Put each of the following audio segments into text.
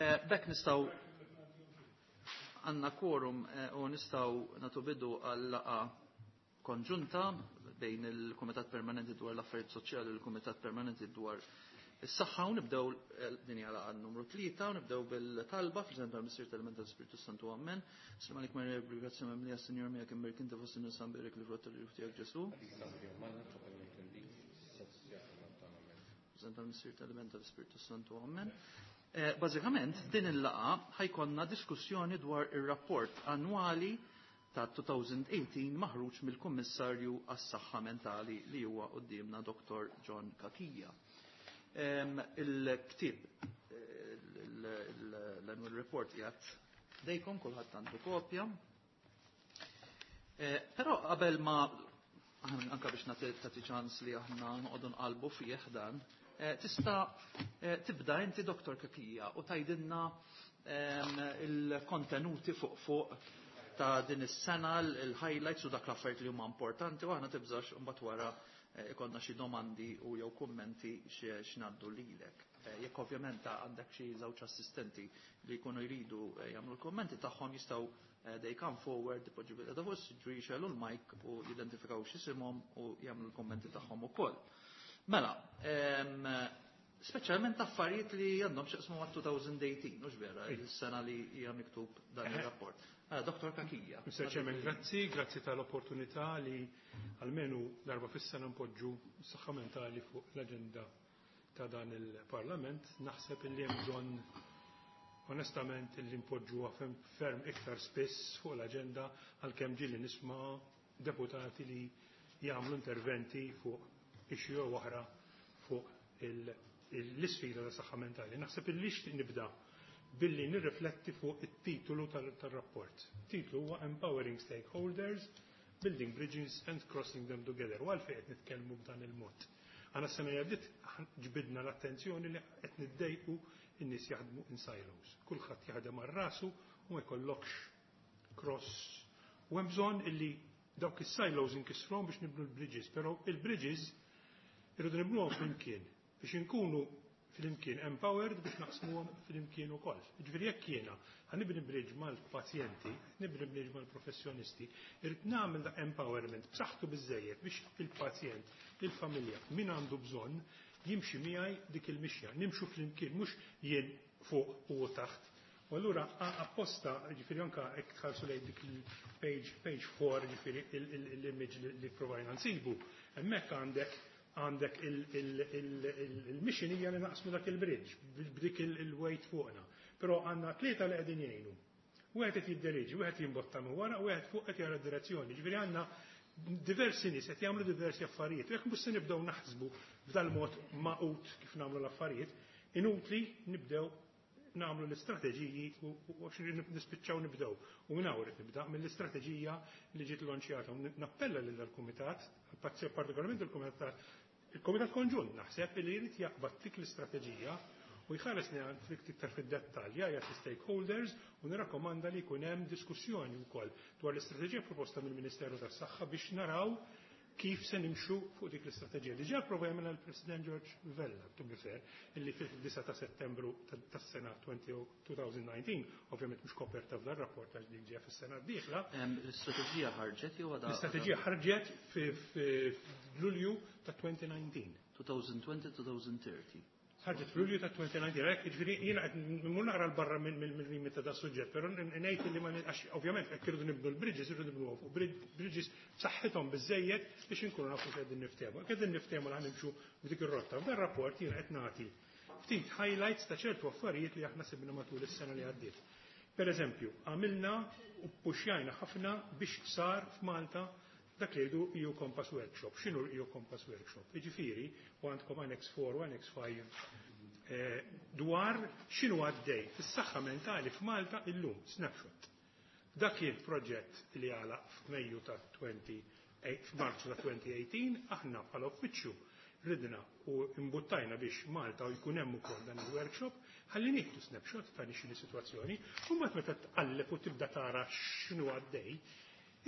B'hekk nistgħu għandna quorum u nistgħu nagħtu bidu għal laqgħa konġunta bejn il-Kumitat Permanenti dwar l-Affarijiet Soċjali u l-Kumitat Permanenti dwar is-Saħħa u nibdew din hija laqgħa numru 3 u nibdew bil-talba fl-isem tal-Missier tal-Iben tal-Ispirtu Santu Ammen. Sliem għalik Marija bil-grazzja mimlija Sinjur miegħek imbierk inti fost in-nisa mbierek il-frott tal-ġuf tiegħek Ġesù. Fl-isem tal-Missier tal-Iben tal-Ispirtu Santu Ammen. Bażikament din il-laqgħa ħajkonna diskussjoni dwar ir-rapport annwali ta' 2018 maħruġ mill-Kummissarju għas-Saħħa Mentali li huwa quddiemna Dr. John Cachia. Il-ktieb l-annual report qiegħed dejkom kulħadd għandu kopja. Però qabel ma anka biex nagħti ċans li aħna noqogħdu nqalbu fih dan, tista' tibda inti Dr. Cachia u tgħidilna il-kontenuti fuq fuq ta' din is-sena, il-highlights u dak l-affarijiet li huma importanti u aħna tibżax imbagħad wara ikonna xi domandi u jew kummenti x'ngħaddu lilek. Jekk ovvjament għandek xi żewġ assistenti li jkunu jridu jagħmlu l-kummenti tagħhom jistgħu they come forward, ipoġġu bil-qeda fuq is-siġġu jixgħelu l-mic u jidentifikaw x'isimhom u jagħmlu l-kummenti tagħhom ukoll. Mela, speċjalment affarijiet li għandhom x'jaqsmu ma' 2018, mhux vera, il-sena li hija miktub dan ir-rapport. Mela, Dr. Cachia. Mr. Chairman, grazzi, grazzi tal-opportunità li almenu darba fis-sena npoġġu s-saħħa mentali fuq l-aġenda ta' dan il-Parlament. Naħseb li hemm bżonn onestament li npoġġuha ferm iktar spiss fuq l-aġenda għalkemm ġieli nisma' deputati li jagħmlu interventi fuq issue oħra fuq l-isfida ta' saħħa mentali. Naħseb li nixtieq nibda billi nirrifletti fuq it-titolu tal-rapport. Titlu huwa Empowering Stakeholders, Building Bridges and Crossing Them Together. U għalfejn qed nitkellmu b'dan il-mod. Għana s-sena għaddiet ġbidna l-attenzjoni li qed niddejqu in-nies jaħdmu in silos. Kulħadd jaħdem għal rasu u ma jkollokx cross. U hemm bżonn illi dawk is-silos inkissruhom biex nibnu l-bridges, però il-bridges irridu nibnuhom flimkien biex inkunu flimkien empowered biex naqsmuhom flimkien ukoll. Jiġifieri jekk jiena ħanibni bridge mal-pazjenti, nibni bridge mal-professjonisti, irrid nagħmel da empowerment b'saħħtu biżejjed biex il-pazjent, il-familja, min għandu bżonn jimxi miegħi dik il-mixja, nimxu flimkien mhux jien fuq u taħt. U allura apposta, ġifieri anka hekk tħarsu lejn dik il-page, page 4, ġifieri l-image li provajna nsibu, hemmhekk għandek il-mission hija li naqsmu dak il-bridge b'dik il-weight fuqna. Però għandna tlieta li qegħdin jgħinu. Wieħed qed jidderieġi, wieħed jimbotta minn wara, u wieħed fuq qed jara d-direzzjoni. Ġifieri għandna diversi nies qed jagħmlu diversi affarijiet. U jekk mhux se nibdew naħsbu b'dal-mod maqut kif nagħmlu l-affarijiet, inutli nibdew nagħmlu l-istrateġiji u nispiċċaw nibdew. U minn hawn nibda mill-istrateġija li ġiet lonċjata. Nappella lil dal-kumitat, partikolarment il-kumitat konġunt naħseb li jrid jaqbad dik l-istrateġija u jħares li iktar fid-dettall jgħid stakeholders u nirrakkomanda li jkun hemm diskussjoni wkoll dwar l-istrateġija proposta mill-Ministeru tas-Saħħa biex naraw kif se nimxu fuq dik l-istrateġija. Diġà prova jagħmilha l-President George Vella, to be fair, illi fil-9 ta' Settembru tas-sena 2019, ovvjament mhux koperta f'dan rapport għax dik ġejja fis-sena d-dieħla. L-istrateġija ħarġet jew għadha? L-istrateġija ħarġet f'Lulju ta' 2019. 2020-2030. Ħarġet f'Lulju ta' 2019, hekk jiġifieri jiena qed mmur naqra l barra mill-limit ta' suġġett, però ngħid li ma għax ovvjament hekk irridu nibnu l-bridges, irridu nibnuhom fuq bridges b'saħħithom biżejjed biex inkunu nafu x'qegħdin niftehmu. Hekk qegħdin niftehmu li ħanimxu b'dik ir-rotta. F'dan rapport jiena qed nagħti ftit highlights ta' ċertu affarijiet li aħna sibna matul is-sena li għaddiet. Per eżempju, għamilna u puxjajna ħafna biex sar f'Malta dak li jgħidu EU Compass Workshop. X'inhu l-EU Compass Workshop? Jiġifieri, u għandkom Annex 4 u Annex 5 dwar x'inhu għaddej fis-saħħa mentali f'Malta illum, snapshot. Dak kien proġett li għalaq f'Mejju ta' 20, f'Marzu ta' 2018, aħna bħala uffiċċju ridna u imbuttajna biex Malta u jkun hemm ukoll dan il-workshop, ħalli nieħdu snapshot ta' x'inhi sitwazzjoni, u mbagħad meta tqalleb u tibda tara x'inhu għaddej,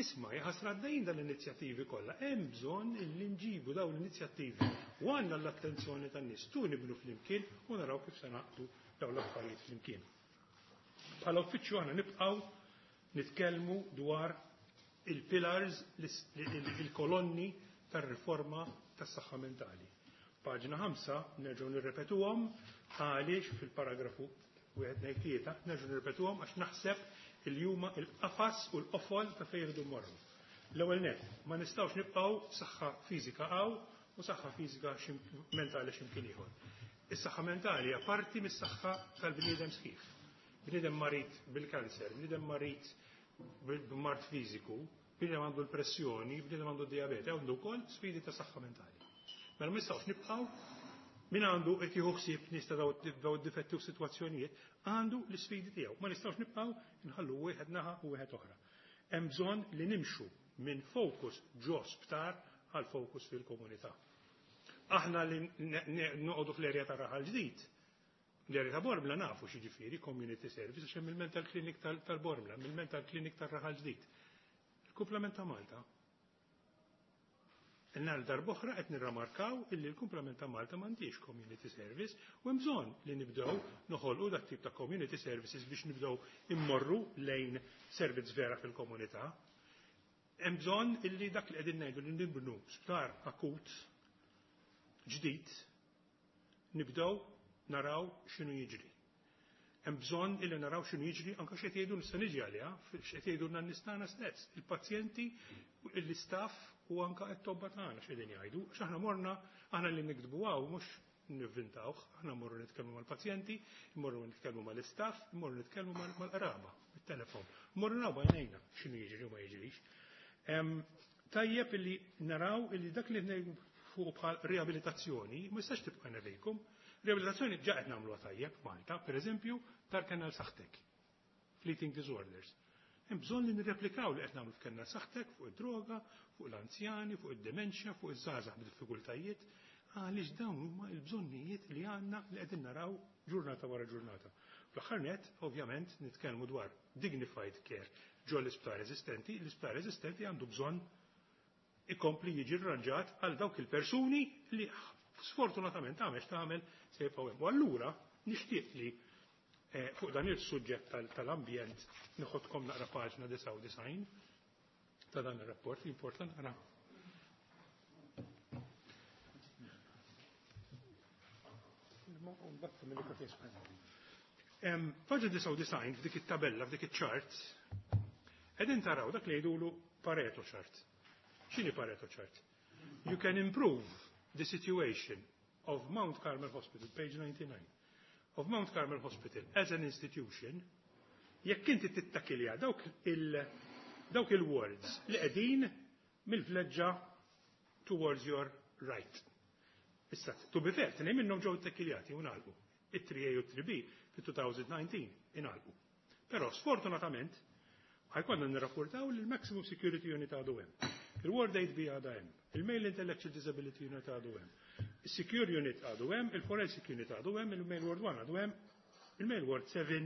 isma' jaħasra għaddejjin dan l-inizjattivi kollha, hemm bżonn illi nġibu dawn l-inizjattivi u għandna l-attenzjoni tan-nies tu nibnu flimkien u naraw kif se naqdu dawn l-affarijiet flimkien. Bħala uffiċċju aħna nibqgħu nitkellmu dwar il-pillars, il-kolonni tar-riforma tas-saħħa mentali. Paġna 5 nerġgħu nirrepetuhom għaliex fil-paragrafu 1 2 3 nerġgħu nirrepetuhom għax naħseb il huma il-qafas u l-qofol ta' fejn irridu mmorru. L-ewwel nett, ma nistgħux nibqgħu saħħa fiżika hawn u saħħa fiżika mentali x'imkien ieħor. Is-saħħa mentali hija parti mis-saħħa tal-bniedem sħiħ. Bniedem marid bil-kanser, bniedem marid b'mard fiżiku, bniedem għandu l-pressjoni, bniedem għandu d-dijabete, għandu wkoll sfidi ta' saħħa mentali. Mela ma nistgħux nibqgħu min għandu qed jieħu ħsieb nies ta' daw id-difetti u sitwazzjonijiet għandu l-isfidi tiegħu. Ma nistgħux nibqgħu nħallu wieħed naħa u wieħed oħra. Hemm bżonn li nimxu minn fokus ġo sptar għal fokus fil-komunità. Aħna li noqogħdu fl-erja ta' Raħal Ġdid, l-erja ta' Bormla nafu x'jiġifieri community service għax hemm il-mental clinic tal-Bormla, il-mental clinic tar-Raħal Ġdid. Il-kumplament ta' Malta. Nhar darb'oħra qed nirramarkaw illi l-kumplament ta' Malta m'għandix community service u hemm bżonn li nibdew noħolqu dak tip ta' community services biex nibdew immorru lejn servizz vera fil-komunità. Hemm bżonn illi dak li qegħdin ngħidu li nibnu sptar akut ġdid nibdew naraw x'inhu jiġri. Hemm bżonn illi naraw x'inhu jiġri anke x'qed jgħidu nista' niġi għaliha, x'qed jgħidulna n-nies tagħna stess, il-pazjenti, l-istaff u anke t-tobba tagħna x'qegħdin jgħidu. Għax aħna morna, aħna li niktbu hawn mhux nivvintawh, aħna mmorru nitkellmu mal-pazjenti, mmorru nitkellmu mal-istaff, mmorru nitkellmu mal-qraba, bit-telefon. Mmorru naraw b'għajnejna x'inhu jiġri u ma jiġrix. Tajjeb illi naraw illi dak li ngħidu fuq bħal riabilitazzjoni ma jistax tibqa' nevejkum. Riabilitazzjoni ġa qed nagħmluha tajjeb f'Malta, pereżempju, dar Kennel Saħtek, fleeting disorders. Hemm bżonn li nirreplikaw li qed nagħmlu f'Kennel Saħtek fuq id-droga, fuq l-anzjani, fuq id-dementia, fuq iż-żgħażagħ b'diffikultajiet, għaliex dawn huma l-bżonnijiet li għandna li qegħdin naraw ġurnata wara ġurnata. Fl-aħħar nett, ovvjament, nitkellmu dwar dignified care ġo l-isptar eżistenti, l-isptar eżistenti għandu bżonn ikompli jiġi rranġat għal dawk il-persuni li sfortunatament għamex tagħmel se jibqgħu hemm. U allura nixtieq li fuq dan il-suġġett tal-ambjent nieħodkom naqra paġna 99 ta' dan ir-rapport, important naqra. Paġna 99 f'dik it-tabella, f'dik iċ-chart, qegħdin taraw dak li jgħidulu Pareto chart. X'inhi Pareto chart? You can improve the situation of Mount Carmel Hospital, page 99, of Mount Carmel Hospital as an institution, jekk inti tittakilja dawk il-wards li qegħdin mill-vleġġa towards your right. Issa, to be fair, tnejn minnhom ġew ittakkiljati u ngħalqu. It-3A u 3B fit-2019 ingħalqu. Però sfortunatament ħajkonna nirrapportaw li l-Maximum Security Unit għadu hemm. Il-Ward 8B għadha hemm, il-Male Intellectual Disability Unit għadu hemm, il-Secure Unit għadu hemm, il-Forensic Unit għadu hemm, il-Male Ward 1 għadu hemm, il-Male Ward 7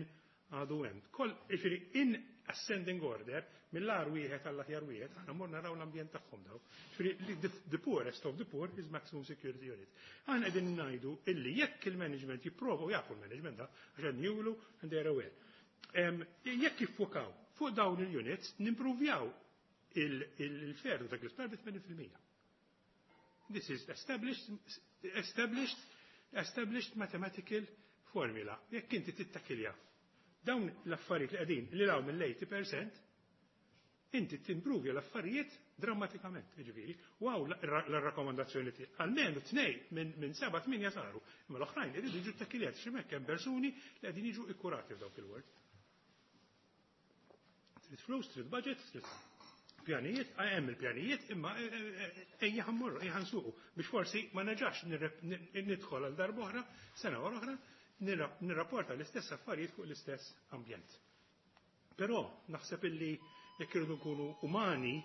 għadu hemm. Koll, jiġifieri in ascending order, mill-agħar wieħed għall-aħjar wieħed, aħna morna naraw l-ambjent tagħhom daw. Jiġifieri the poorest of the poor is maximum security unit. Aħna qegħdin ngħidu illi jekk il-management jipprova u jafu l-management da, għax qed julu and they are aware. Jekk jiffukaw fuq dawn il-units, nimpruvjaw il-fer dak l-isptar bi 80%. This is established mathematical formula. Jekk inti tittakilja dawn l-affarijiet li qegħdin li law mill-80%, inti timpruvja l-affarijiet drammatikament, jiġifieri. U hawn l-rakkomandazzjoni tiegħi. Almenu tnej minn 7 8 saru, imma l-oħrajn iridu jiġu ttakkiljati xi hekk hemm persuni li qegħdin jiġu ikkurati f'dawk il-ward. Trid flus, trid budget, trid pjanijiet, hemm il-pjanijiet, imma ejja ħammorru, ejja ħansuqu biex forsi ma nerġax nidħol għal darba oħra, sena wara oħra, nirrapporta l-istess affarijiet fuq l-istess ambjent. Però naħseb illi jekk irridu nkunu umani,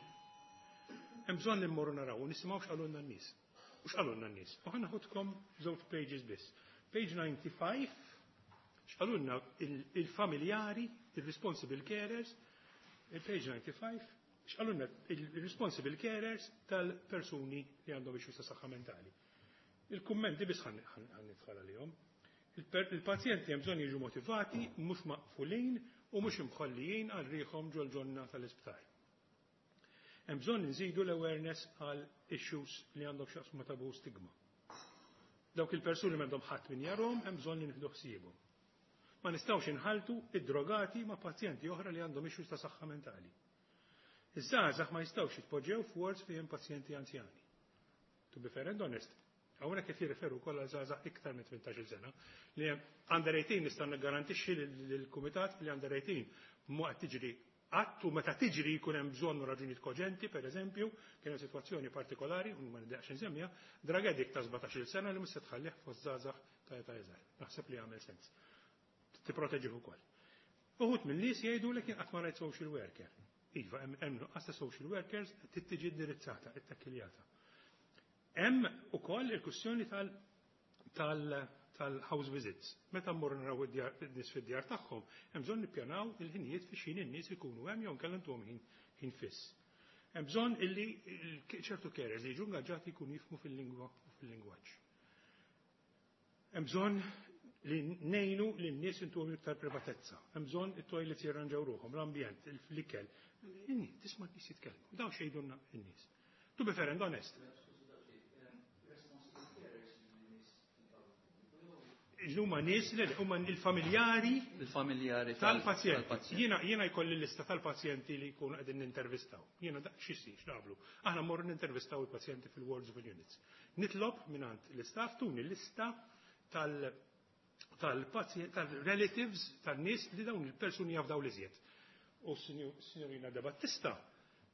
hemm bżonn li mmorru naraw u nisimgħu x'qalulna n-nies. U x'qalulna n-nies? U ħa naħodkom żewġ pages biss. Page 95, x'qalulna il-familjari, il-responsible carers, il-page 95, x'qalulna il-responsible carers tal-persuni li għandhom issues ta' saħħa mentali. Il-kummenti biss ħan nidħol għalihom. Il-pazjenti hemm bżonn jiġu motivati, mhux maqfulin u mhux imħollijin għal riħhom ġol-ġonna tal-isptar. Hemm bżonn nżidu l-awareness għal issues li għandhom x'jaqsmu ma' taboo stigma. Dawk il-persuni m'għandhom ħadd min jarhom, hemm bżonn li nieħdu ħsiebhom. Ma nistgħux inħaltu id-drogati ma' pazjenti oħra li għandhom issues ta' saħħa mentali. Iż-żgħażagħ ma jistgħux jitpoġġew f'wards fejn pazjenti anzjani. To be fair and honest, hawnhekk qed jirreferu wkoll għal żgħażagħ iktar minn 18-il sena li hemm under 18. Nista' niggarantixxi lill-kumitat li under 18 mhu qed tiġri qatt, u meta tiġri jkun hemm bżonn u raġunijiet koġenti. Pereżempju, kien hemm sitwazzjoni partikolari, u ma niddeqx insemmija, drug addict ta' 17-il sena li mhux se tħallih fost żgħażagħ ta' età iżgħar. Naħseb li jagħmel sens. Tipproteġih ukoll. Uħud minn nies jgħidu li kien qatt ma rajt social worker. Iva, hemm nuqqas ta' social workers, trid tiġi indirizzata, ittakiljata. Hemm ukoll il-kwistjoni tal-house visits. Meta mmorru naraw id-nies fid-djar tagħhom, hemm bżonn nippjanaw il-ħinijiet fi xin in-nies ikunu hemm jew nkella ntuhom ħin fiss. Hemm bżonn illi ċertu carers li jiġu ingaġġati jkunu jifhmu fil-lingwa u fil-lingwaġġ. Hemm bżonn li ngħinu li n-nies intuhom iktar privatezza. Hemm bżonn it-toilets jirranġaw ruħhom, l-ambjent, l-ikel. Tisma' n-nies jitkellmu. Dawn x'jgħidulna n-nies. To be fair and honest, huma nies li huma il-familjari Il-familjari tal-pazjenti. Tal-pazjent. Jiena jkolli lista tal-pazjenti li jkunu qegħdin nintervistaw. Jiena da x'isir, x'nagħmlu? Aħna mmorru nintervistaw il-pazjenti fil-wards of units. Nitlob mingħand l-istaff tuni lista tal-pazjent, tal-relatives, tan-nies li dawn il-persuni jafdaw l-iżjed. U s-signorina De Battista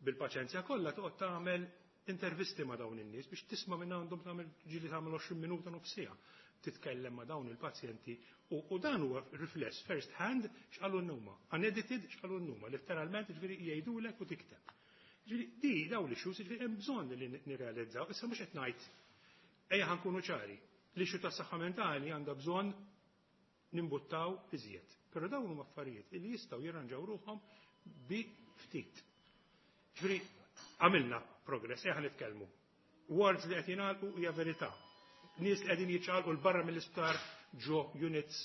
bil-paċenzja kollha toqgħod tagħmel intervisti ma' dawn in-nies biex tisma' minn għandhom, tagħmel ġieli tagħmel 20 minuta, nofs siegħa titkellem ma' dawn il-pazjenti u dan huwa rifless first hand x'qalu n-numa, unedited x'qalu n-numa, letteralment, ġifieri jgħidulek u tikteb. Ġifieri di dawn l-issues, ġifieri hemm bżonn li nirrealizzaw. Issa mhux qed ngħid, ejja ħa nkunu ċari, l-issue tas-saħħa mentali għandha bżonn nimbuttaw iżjed. Però dawn huma affarijiet li jistgħu jirranġaw ruħhom bi ftit. Ġifieri għamilna progress, ejja nitkellmu. Wards li qed jingħalqu hija verità. Nies li qegħdin jiċċaqalqu 'l barra mill-isptar ġo units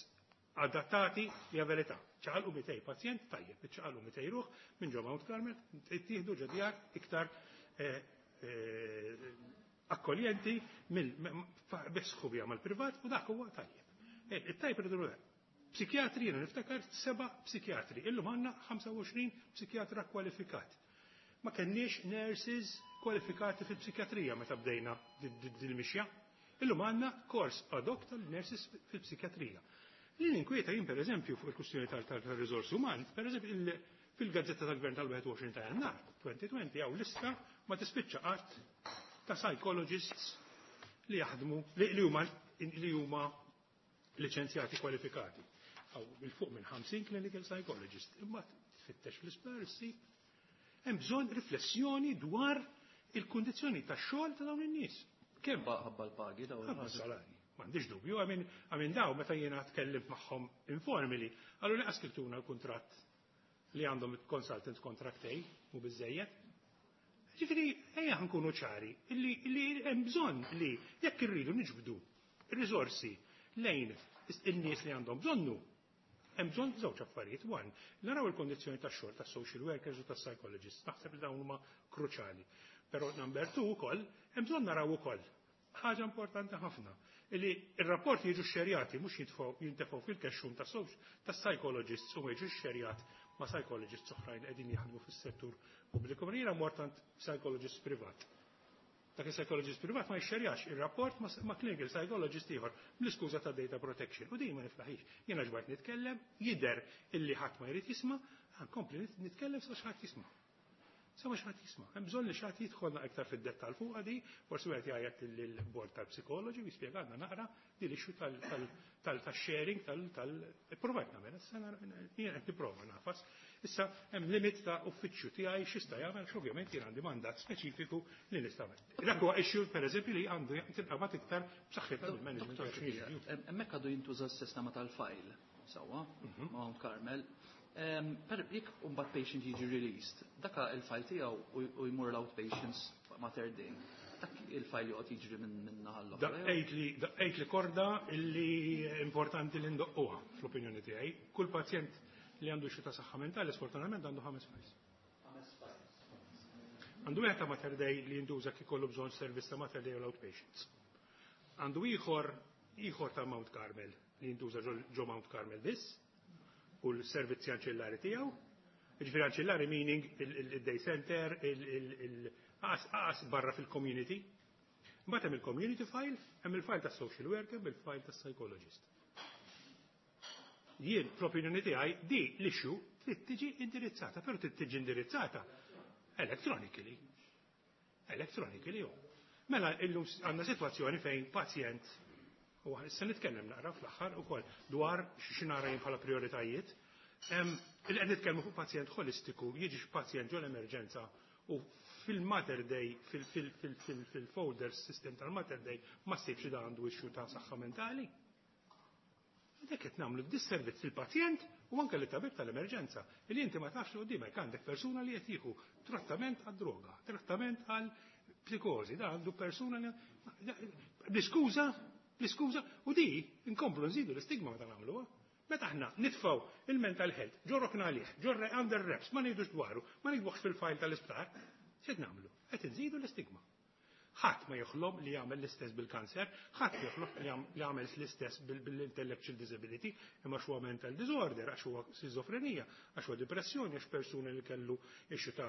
adattati hija verità. Ċaqalqu 200 pazjent, tajjeb, iċċaqalqu 200 ruħ minn ġo Mount Carmel, ittieħdu ġo djar iktar akkoljenti bi sħubija mal-privat u dak huwa tajjeb. It-tajjeb irridu dak. Psikjatri, jiena niftakar seba' psikjatri, illum għandna 25 psikjatra kwalifikat. Ma kenniex nurses kwalifikati fil-psikjatrija meta bdejna dil-mixja. Illum għandna kors ad hoc tal-nurses fil-psikjatrija. Li ninkwieta jien, per eżempju, fuq il-kwistjoni tal-riżors uman, per eżempju, fil-gazzetta tal-Gvern tal-21 ta' Jannar 2020 hawn lista ma tispiċċa qatt ta' psychologists li jaħdmu li huma liċenzjati kwalifikati. Hawn 'il fuq minn 50 clinical psychologist. Imma tfittex fl-isptar issib. Hemm bżonn riflessjoni dwar il-kundizzjoni tax-xogħol ta' dawn in-nies. Kemm Ħabba l-pagi daw. Ħabba salari. M'għandix dubju, għamin daw meta jiena tkellimt magħhom informally, għallu li askribtuna l-kuntratt li għandhom consultant contract A, mu biżejjed. Ġifieri, ejja nkunu ċari, illi hemm bżonn li jekk irridu niġbdu risorsi lejn in-nies li għandhom bżonnu, hemm bżonn żewġ affarijiet. One, naraw il-kondizzjoni tax-xogħol tas-social workers u tas-psychologists. Naħseb li dawn huma kruċjali. Però number two ukoll, hemm bżonn naraw ukoll ħaġa importanti ħafna, li il-rapporti jiġu xerjati, mhux jintefgħu fil-kexxun ta' psychologists u ma jiġu xerjat ma' psychologists oħrajn qegħdin jaħdmu fis-settur pubbliku. Jiena mort għand psychologist privat. Dak il-psychologist privat ma jxerjax il-rapport ma' clinical psychologist ieħor bl-iskuża ta' data protection. U din ma niflaħix. Jiena ġbajt nitkellem, jidher illi ħadd ma jrid jisma', nkompli nitkellem sa xi jisma'. Sa ma xi jisma'. Hemm bżonn li xi ħadd jidħolna iktar fid-dettall fuq di, forsi wieħed jgħajjat lill-bord tal-psikoloġi u jispjegalna naqra di l-issue tal-sharing tal provajt nagħmel, issa jiena qed nipprova nafas. Issa hemm limit ta' uffiċċju tiegħi x'jista' jagħmel, ovvjament jien għandi mandat speċifiku li nista' nagħmel. Dak huwa issue, pereżempju, li għandu tinqabad iktar b'saħħitha mill-management. Dottor Cachia, hemmhekk għadu jintuża s-sistema tal-file, sewwa, Mount Carmel. Per jekk imbagħad patient jiġi released, daka il-file tiegħu u jmur l-outpatients Mater Dei. Dak il-file joqgħod jiġri minn naħa l-oħra. Daqqejt li korda illi importanti li ndoqquha fl-opinjoni tiegħi. Kull pazjent li għandu issue ta' saħħa mentali, sfortunatament għandu ħames files. Għandu wieħed ta' Mater Dei li jintuża kif ikollu bżonn servizz ta' Mater Dei u l-outpatients. Għandu ieħor ta' Mount Carmel li jintuża ġo Mount Carmel biss u l-servizzi anċillari tiegħu. Ġifieri anċillari meaning il-day center, il-qas barra fil-community. Mbagħad hemm il-community file, hemm il-file tas-social worker, hemm il-file tas-psychologist. Jien, fl-opinjoni tiegħi, di l-issue trid tiġi indirizzata, però trid tiġi indirizzata electronically. Electronically, jo. Mela illum għandna sitwazzjoni fejn pazjent, u issa nitkellem naqra fl-aħħar ukoll dwar x'nara jien bħala prioritajiet. Il-qed nitkellmu fuq pazjent holistiku, jiġi pazjent ġol emerġenza u fil-Mater Dei, fil-folder system tal-Mater Dei, ma ssibx da għandu issue ta' saħħa mentali. Dak qed nagħmlu disservizz il-pazjent u anke li tabib tal-emerġenza. Li inti ma tafx li qudiemek għandek persuna li qed jieħu trattament għad-droga, trattament għal psikożi, da għandu persuna li bl-iskuża, bl-iskuża, u di nkomplu nżidu l-istigma meta nagħmluha. Meta aħna nitfgħu il-mental health, ġorrokna għalih, ġorre under wraps, ma ngħidux dwaru, ma ngħidux fil-file tal-isptar, x'qed nagħmlu? Qed nżidu l-istigma. Ħadd ma joħlom li jagħmel l-istess bil-kanser, ħadd joħlom li jagħmel l-istess bil-intellectual disability, imma huwa mental disorder, għax huwa skizofrenija, għax huwa depressjoni, għax persuna li kellu issue ta'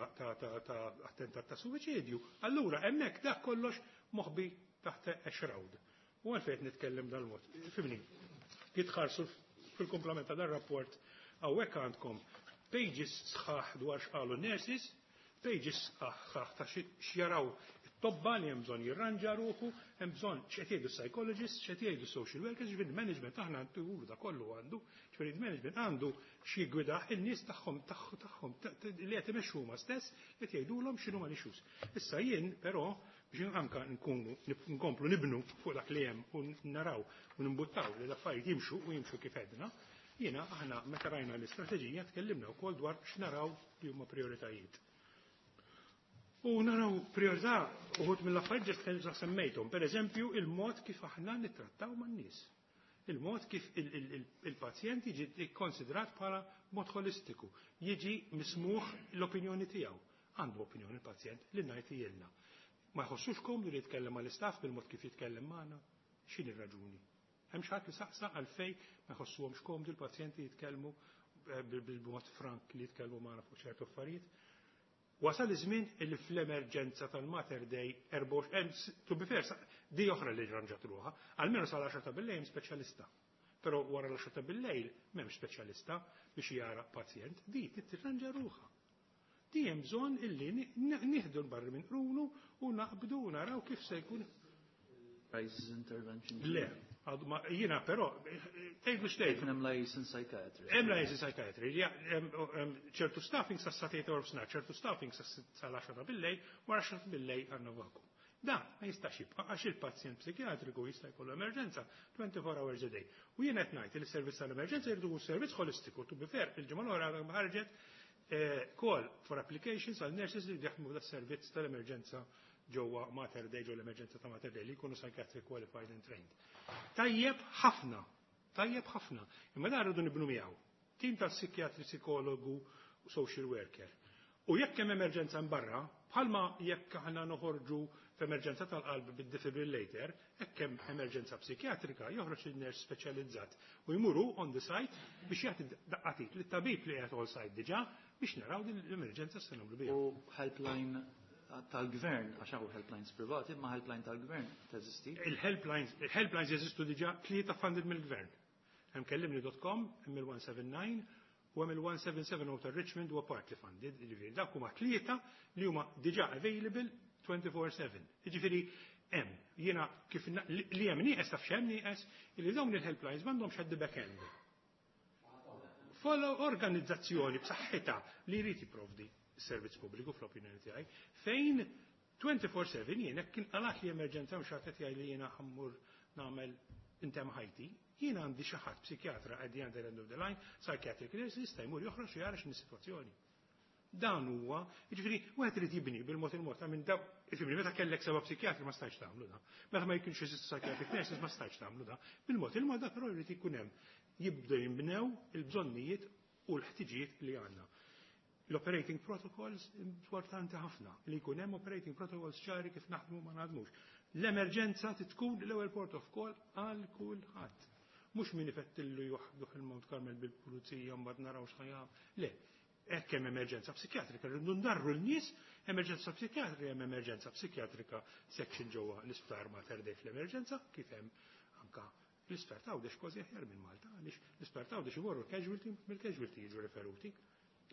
attentat ta' suwiċidju. Allura hemmhekk dak kollox moħbi taħt a shroud. U għalfejn nitkellem dal-mod. Fimni, jitħarsu fil-komplement ta' dar-rapport hawnhekk għandkom pages sħaħ dwar x'qalu nurses, pages sħaħ ta' x'jaraw tobba li hemm bżonn jirranġa ruħu, hemm bżonn x'qed jgħidu psychologists, x'qed jgħidu social workers, ġifieri management aħna għandu da kollu għandu, ġifieri management għandu xi jgwidah in-nies tagħhom tagħhom li qed imexxu huma stess qed jgħidulhom x'inhu ma issues. Issa jien però biex anka nkunu nkomplu nibnu fuq dak li hemm u naraw u nimbuttaw li l-affarijiet jimxu u jimxu kif għedna, jiena aħna meta rajna l-istrateġija tkellimna wkoll dwar x'naraw li huma prioritajiet. U naraw priorità uħud mill-affarijiet ġest semmejthom, per eżempju, il-mod kif aħna nittrattaw man-nies. Il-mod kif il-pazjent jiġi konsidrat bħala mod holistiku, jiġi mismuħ l-opinjoni tiegħu. Għandu opinjoni il-pazjent li ngħid jilna. Ma jħossux komdu li jitkellem mal-istaff bil-mod kif jitkellem magħna. X'inhi r-raġuni? Hemm xi ħadd li saqsa għalfejn ma jħossuhomx komdu l-pazjenti jitkellmu bil-mod frank li jitkellmu magħna fuq ċertu affarijiet. Wasal iż-żmien illi fl-emerġenza tal-Mater Dei to be fair, di oħra li rranġat ruħha, almenu sal-10 ta' bil-lejl speċjalista. Però wara l-10 ta' bil-lejl m'hemmx speċjalista biex jara pazjent, di tirranġa ruħha. Di hemm bżonn illi nieħdu l-barri minn qrunu u naqbdu u naraw kif se jkun. Crisis intervention. Le, jiena però, tgħidlu x'tgħid. Kien hemm liaison psychiatry. Hemm liaison psychiatry, ċertu staffing sa satejt orf snar, ċertu staffing sal-10 ta' bil-lejl, wara 10 ta' bil-lejl għandna vakum. Dan ma jistax jibqa' għax il-pazjent psikjatriku jista' jkollu emerġenza 24 hours a day. U jien qed ngħid li s-servizz tal-emerġenza jridu servizz holistiku, to be fair, il-ġimgħa l-oħra ħarġet call for applications għal nurses li jaħdmu da servizz tal-emerġenza ġewwa Mater Dei, ġewwa l-emerġenza ta' Mater Dei li jkunu psychiatric qualified and trained. Tajjeb ħafna, tajjeb ħafna, imma dan rridu nibnu miegħu. Tim ta' psikjatri, psikologu, social worker. U jekk hemm emerġenza barra, bħalma jekk aħna noħorġu f'emerġenza tal-qalb bid-defibrillator, hekk hemm emerġenza psikjatrika joħroġ il-nurse speċjalizzat u jmuru on the site biex jagħti daqqatit lit-tabib li qiegħed on site diġà biex naraw din l-emerġenza se nagħmlu biha. U helpline tal-gvern, għax hawn helplines privati, ma helpline tal-gvern teżisti? Il-helplines jeżistu diġà tlieta funded mill-gvern. Hemm kellimni.com, hemm il-179 u hemm il-177 ta' Richmond huwa partly funded, jiġifieri dak huma tlieta li huma diġà available 24/7. Jiġifieri hemm jiena kif li hemm nieqes taf x'hemm nieqes li dawn il-helplines m'għandhomx at the back end. Follow organizzazzjoni b'saħħitha li jrid jipprovdi s-servizz pubbliku fl-opinjoni tiegħi fejn 24/7 jien hekk kien qalat li emerġenza mhux qed jgħid li jiena ħammur nagħmel intemm ħajti, jiena għandi xi ħadd psikjatra at the other end of the line, psychiatric nurse jista' jmur joħroġ u jara x'inhi sitwazzjoni. Dan huwa, jiġifieri wieħed irid jibni bil-mod il-mod, minn daw, jiġifieri meta kellek seba' psikjatri ma stajtx tagħmlu da. Meta ma jkunx jeżistu psychiatric nurses ma stajtx tagħmlu da. Bil-mod il-mod da però jrid ikun hemm jibdew jinbnew il-bżonnijiet u l-ħtiġijiet li għandna. L-operating protocols importanti ħafna, li jkun hemm operating protocols ċari kif naħdmu ma naħdmux. L-emerġenza tkun l-ewwel port of call għal kulħadd. Mhux min ifettillu joħduh il-Mount Carmel bil-pulizija, mbagħad naraw x'ħa. Le, hekk hemm emerġenza psikjatrika, rridu ndarru l-nies. Emerġenza psikjatrika, hemm emerġenza psikjatrika section ġewwa l-isptar Mater Dei fl-emerġenza, kif hemm anka l-isptar t'Għawdex, kważi aħjar minn Malta, għaliex l-isptar t'Għawdex imorru casualty, mill-casualty jiġu referuti,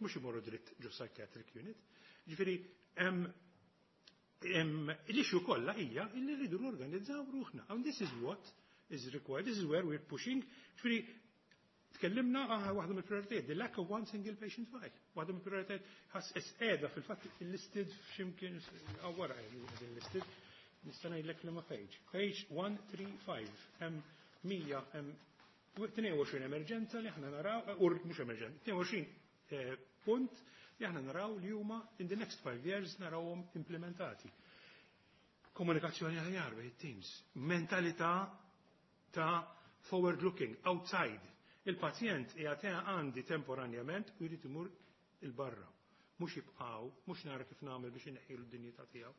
mhux imorru dritt ġo psychiatric unit. Ġifieri hemm l-issue kollha hija illi rridu norganizzaw ruħna. And this is what is required, this is where we're pushing. Ġifieri tkellimna waħda mill-prioritajiet, the lack of one single patient file. Waħda mill-prioritajiet ħas qiegħda fil-fatt listed f'ximkien wara qegħdin listed. Nista' ngħidlek li ma page. Page 135. Hemm 100, hemm 22 emerġenza li aħna naraw, u mhux emerġenza, 22 punt li aħna naraw li huma in the next 5 years narawhom implementati. Komunikazzjoni aħjar bejn teams, mentalità ta' forward looking, outside. Il-pazjent qiegħed għandi temporanjament u jrid imur il-barra. Mhux jibqgħu, mhux nara kif nagħmel biex inneħħilu d-dinjità tiegħu.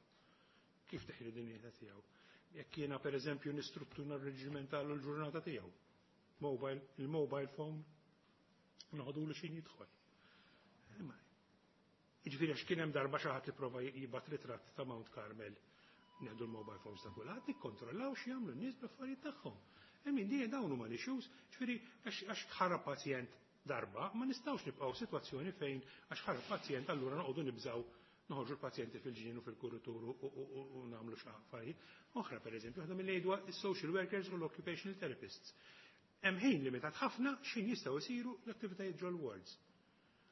Kif teħilu d-dinjità tiegħu? Jekk jiena, pereżempju, nistruttura reġimentalu l-ġurnata tiegħu. Mobile, il-mobile phone noħodulu x'ħin jidħol. Imma jiġifieri għax kien hemm darba xi ħadd li prova jibgħat ritratt ta' Mount Carmel, neħdu l-mobile phones ta' kulħadd, nikkontrollaw x'jagħmlu n-nies bl-affarijiet tagħhom. I mean, di dawn huma l-issues, ġifieri għax ħarab pazjent darba, ma nistgħux nibqgħu sitwazzjoni fejn għax ħarab pazjent allura noqogħdu nibżgħu noħorġu l-pazjenti fil-ġnien u fil-kuritur u nagħmlu xi affarijiet. Oħra, pereżempju, waħda mill is-social workers u l-occupational therapists. Hemm ħin limitat ħafna x'ħin jistgħu jsiru l-attivitajiet ġol wards.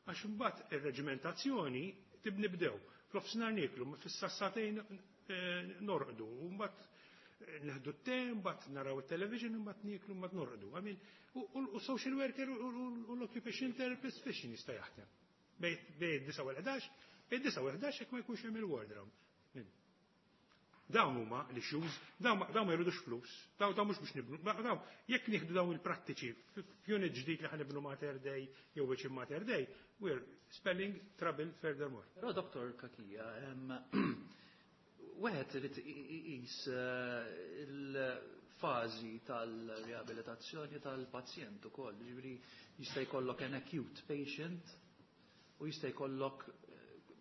Għax imbagħad ir-reġimentazzjoni tibnibdew. Fl-ofsinhar nieklu, fis-sagħtejn norqdu, u mbagħad nieħdu t-te, mbagħad naraw it-television, mbagħad nieklu, mbagħad norqdu. I mean, u social worker u l-occupational therapist fiex jista' jaħdem? Bejn 9 u 11, bejn 9 u 11 jekk ma jkunx hemm il-ward round. Dawn huma l-issues, dawn ma jridux flus, dawn mhux biex nibnu, dawn jekk nieħdu dawn il-prattiċi f'unit ġdid li ħa nibnu Mater Dei jew wiċċ Mater Dei, we're spelling trouble furthermore. Però, Dr. Cachia, wieħed irid iqis il-fażi tal-riabilitazzjoni tal-pazjent ukoll, ġifieri jista' jkollok an acute patient u jista' jkollok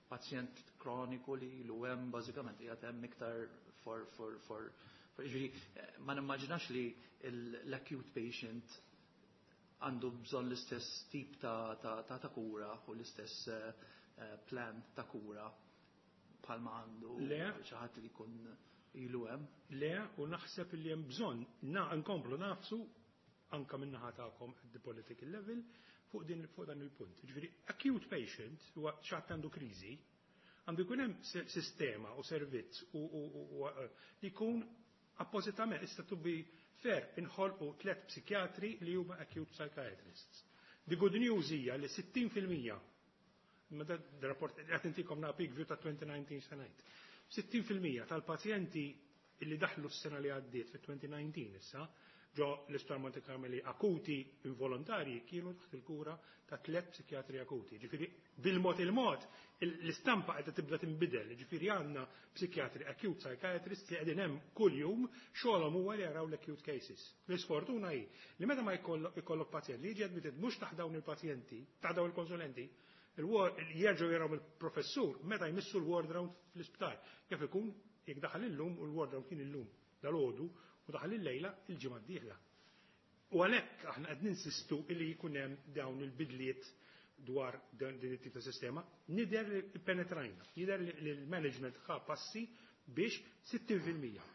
pazjent kroniku li ilu hemm, bażikament qiegħed hemm iktar for, ġifieri ma nimmaġinax li l-acute patient għandu bżonn l-istess tip ta' kura u l-istess plan ta' kura bħalma għandu Le. xi ħadd li jkun ilu hemm. Le, u naħseb li hemm bżonn nkomplu nagħfsu anka min-naħa tagħkom at the political level fuq dan il-punt. Ġifieri acute patient huwa xi ħadd għandu kriżi, għandu jkun hemm sistema u servizz u li jkun appożitament. Issa, to be fair, inħolqu tliet psikjatri li huma acute psychiatrists. The good news hija li 60%, imma da rapport qed intikom na peak view ta' 2019 se ngħid. 60% tal-pazjenti illi daħlu s-sena li għaddiet fit-2019 issa ġo l-Isptar Monte Carmeli akuti involontarji kienu taħt il-kura ta' tliet psikjatri akuti. Ġifieri bil-mod il-mod l-istampa qiegħda tibda tinbidel. Ġifieri għandna psikjatri acute psychiatrists li qegħdin hemm kuljum, xogħolhom huwa li jaraw l-acute cases. L-isfortuna hi li meta ma jkollok pazjent li jiġi admitted mhux taħt dawn il-pazjenti, taħt dawn il-konsulenti, jerġgħu jaraw il-professur meta jmissu l-ward round fl-isptar. Kif ikun jekk daħal illum u l-ward round kien illum dal-għodu u daħal il-lejla, il-ġimgħa d-dieħla. U għalhekk aħna qed ninsistu illi jkun hemm dawn il-bidliet dwar din it-tip ta' sistema. Nidher li penetrajna, jidher li l-management ħa passi biex 60%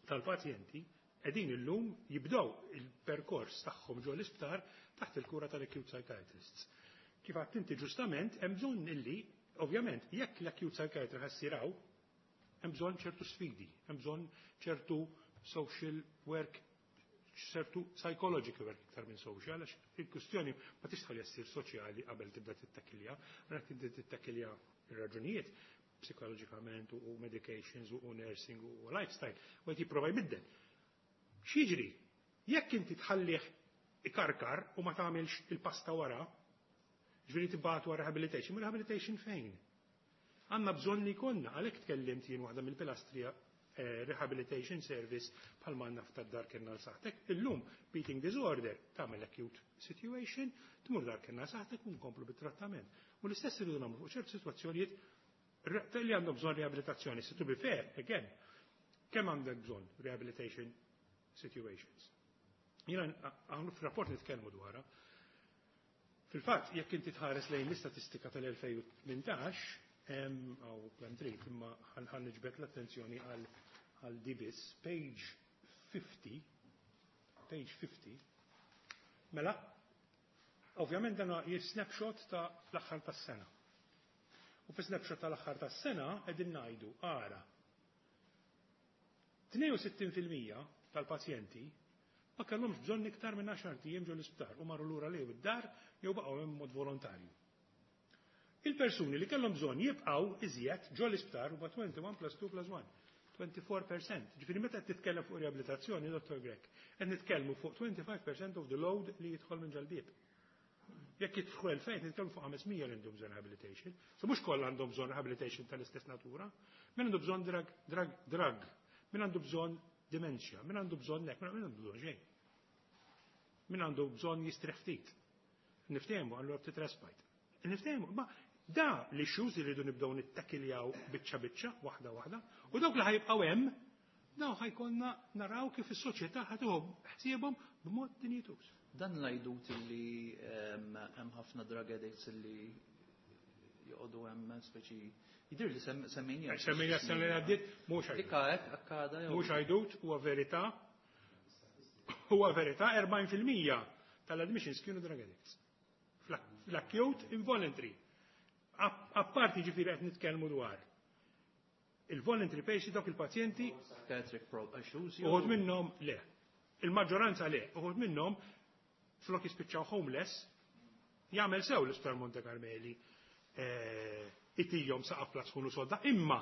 tal-pazjenti qegħdin illum jibdew il-perkors tagħhom ġo l-isptar taħt il-kura tal-acute psychiatrists. Kif għedt inti ġustament, hemm bżonn illi, ovvjament, jekk l-acute psychiatrist ħa ssir hawn, hemm bżonn ċertu sfidi, hemm bżonn ċertu social work, ċertu psychological work iktar minn social, għax il-kwistjoni ma tistax ssir soċjali qabel tibda tittakilja, għax tibda tittakilja ir-raġunijiet psikoloġikament u medications u nursing u lifestyle, u qed jipprova jbiddel. X'jiġri? Jekk inti tħallih ikarkar u ma tagħmilx il-pasta wara, Ġifieri tibgħatu għal rehabilitation, ma rehabilitation fejn? Għandna bżonn li jkollna, għalhekk tkellimt jien waħda mill-pilastri rehabilitation service bħalma għandna f'tad-Dar Kenn għal Saħħtek. Illum eating disorder tagħmel acute situation, tmur Dar Kenn għal Saħħtek u nkomplu bit-trattament. U l-istess irridu nagħmlu fuq ċertu sitwazzjonijiet li għandhom bżonn riabilitazzjoni. So to be fair, again, kemm għandek bżonn rehabilitation situations? Jiena għamlu f'rapport nitkellmu dwarha. Fil-fatt, jekk inti tħares lejn l-istatistika tal-2018, għaw kemm trid, imma ħa niġbed l-attenzjoni għal DBIS, page 50, page 50, mela, ovvjament dan snapshot ta' l-aħħar tas-sena. U fi snapshot tal-aħħar tas-sena qegħdin ngħidu ara 62% tal-pazjenti ma kellhomx bżonn iktar minn 10 ijiem ġol isptar u marru lura lejn id-dar jew baqgħu hemm mod volontarju. Il-persuni li kellhom bżonn jibqgħu iżjed ġol isptar huwa 21 plus 2 plus 1. 24%. Ġifieri meta qed titkellem fuq riabilitazzjoni, Dr. Grech, qed nitkellmu fuq 25% of the load li jidħol minn ġol-bieb. Jekk jidħol fejn nitkellmu fuq 500 li għandhom bżonn rehabilitation. So mhux kollha għandhom bżonn rehabilitation tal-istess natura. Min għandu bżonn drug, drug, drug. Min għandu bżonn dementia, min għandu bżonn nek, min għandu bżonn xejn. Min għandu bżonn jistrieħ ftit. Niftehmu għallu ftit respite. Niftehmu, ma da li issues li rridu nibdew nittakiljaw biċċa biċċa, waħda waħda, u dawk li ħa jibqgħu hemm, daw ħa jkollna naraw kif is-soċjetà ħa tieħu ħsiebhom b'mod dinjituż. Dan l-għajdut li hemm ħafna drug addicts li joqogħdu hemm speċi jidir li semmejnija. Semmejnija s-sena li għaddiet, mhux għajdut. Dikka hekk akkada jew. Mhux għajdut, huwa verità. Huwa verità 40% tal-admissions kienu drug addicts. Fl-acute involuntary. Apparti ġifieri qed nitkellmu dwar il-voluntary patients dawk il-pazjenti Psychiatric issues. Uħud minnhom le. Il-maġġoranza le. Uħud minnhom flok jispiċċaw homeless jagħmel sew l-Isptar Monte Carmeli itihom saqaf platzkun u sodda, imma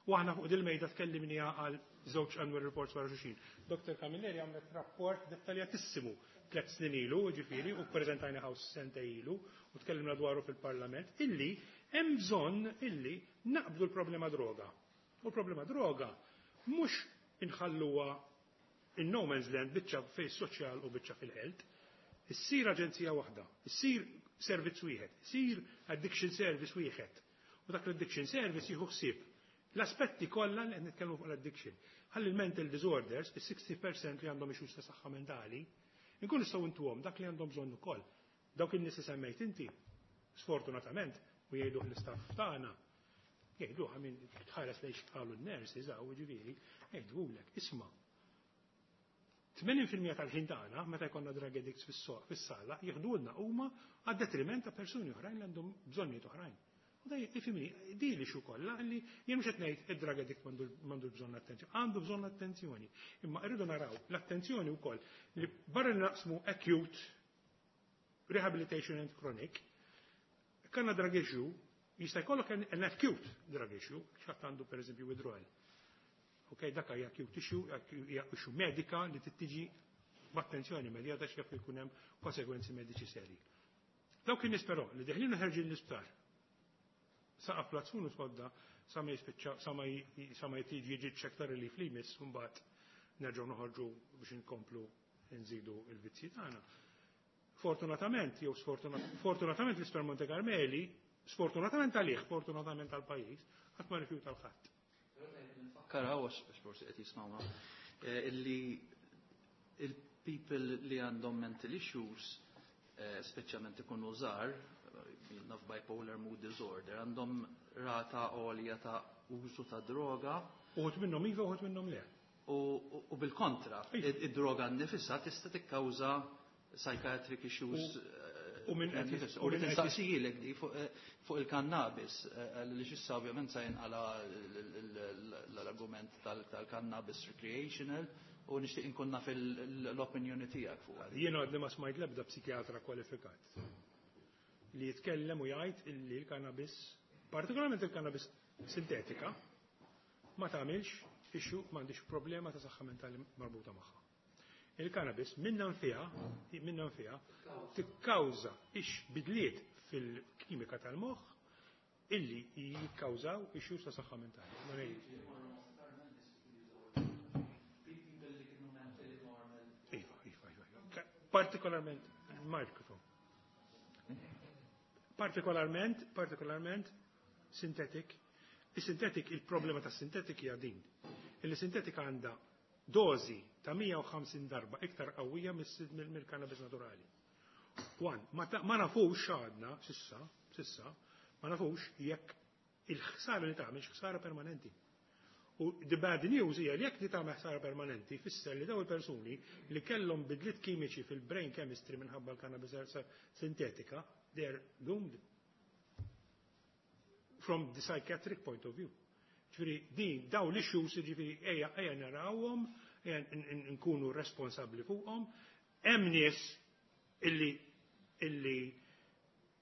u aħna fuq dil-mejda tkellimniha għal żewġ annual reports wara xulxin. Dr. Camilleri għamlet rapport dettaljatissimu 3 snin ilu, ġifieri, u preżentajna hawn sena ilu, u tkellimna dwaru fil-Parlament, illi hemm bżonn illi naqbdu l-problema droga. U l-problema droga mhux inħalluha in no man's land biċċa fej soċjal u biċċa fil-health. Issir aġenzija waħda, issir servizz wieħed, issir addiction service wieħed. U dak l-addiction service jieħu ħsieb l-aspetti kollha li qed nitkellmu fuq l-addiction. Ħalli l-mental disorders, is-60% li għandhom issues ta' saħħa mentali, inkunu nistgħu ntuhom dak li għandhom bżonn ukoll. Dawk in-nies li semmejt inti, sfortunatament, u jgħidu l-istaff tagħna, jgħidu għamin tħares lejn x'qalu n-nurses hawn ġifieri, jgħidulek, isma' 80% tal-ħin tagħna meta jkollna drug addicts fis-sala jieħdulna huma għad-detriment ta' persuni oħrajn li għandhom bżonnijiet oħrajn. U da ifhimni, di li xu kollha li jien mhux qed ngħid id-drug addict m'għandu bżonn attenzjoni, għandu bżonn attenzjoni. Imma rridu naraw l-attenzjoni wkoll li barra li naqsmu acute rehabilitation and chronic, kanna drug issue, jista' jkollok an acute drug issue, x'ħadd għandu pereżempju withdrawal. Ok, dak hija acute issue, hija issue medika li tittiġi b'attenzjoni immedjata x'jaf jkun hemm konsegwenzi mediċi seri. Dawk in-nies però li deħlin u ħerġin l-isptar. Saqaf plazzun u sodda sa ma jispiċċa sa ma jtiġi jiġi ċektar li flimis u mbagħad nerġgħu noħorġu biex inkomplu nżidu il-vizzji tagħna. Fortunatament, jew fortunatament l-Isptar Monte Carmeli, sfortunatament għalih, fortunatament għal-pajjiż, qatt ma rifjuta l-ħadd. Nfakkar għax forsi qed jismawna illi il-people li għandhom mental issues, speċjalment ikunu żgħar, naf bipolar mood disorder, għandhom rata għolja ta' użu ta' droga. Uħud minnhom iva, uħud minnhom le. U bil-kontra, id-droga nnifisha tista' tikkawża psychiatric issues. U minn qed U li nistaqsijilek di fuq il-cannabis, li xissa ovvjament sa jinqala l-argument tal-cannabis recreational, u nixtieq inkun naf l-opinjoni tiegħek fuq. Jiena għadni ma smajt l-ebda psikjatra kwalifikat li jitkellem u jgħid illi l-cannabis, partikolarment il-cannabis sintetika, ma tagħmilx issue, m'għandix problema ta' saħħa mentali marbuta magħha. Il-cannabis minna nfiha tikkawża ix bidliet fil-kimika tal-moħħ illi jikkawżaw issues ta' saħħa mentali. Ma ngħid. Iva. Partikolarment, microphone. Partikolarment, synthetic. Il-synthetic, il-problema ta' synthetic hija din. Il-synthetic għandha dozi ta' 150 darba iktar qawwija mill-cannabis naturali. One, ma nafux għadna, sissa, ma nafux jekk il-ħsara li tagħmel ħsara permanenti. U the bad news hija li jekk li tagħmel ħsara permanenti, fisser li daw il-persuni li kellhom bidliet kimiċi fil-brain chemistry minħabba l-cannabis sintetika, they're doomed from the psychiatric point of view. Ġifieri, din, daw l-issues, ġifieri, ejja narawhom, ejja nkunu responsabbli fuqhom. Hemm nies illi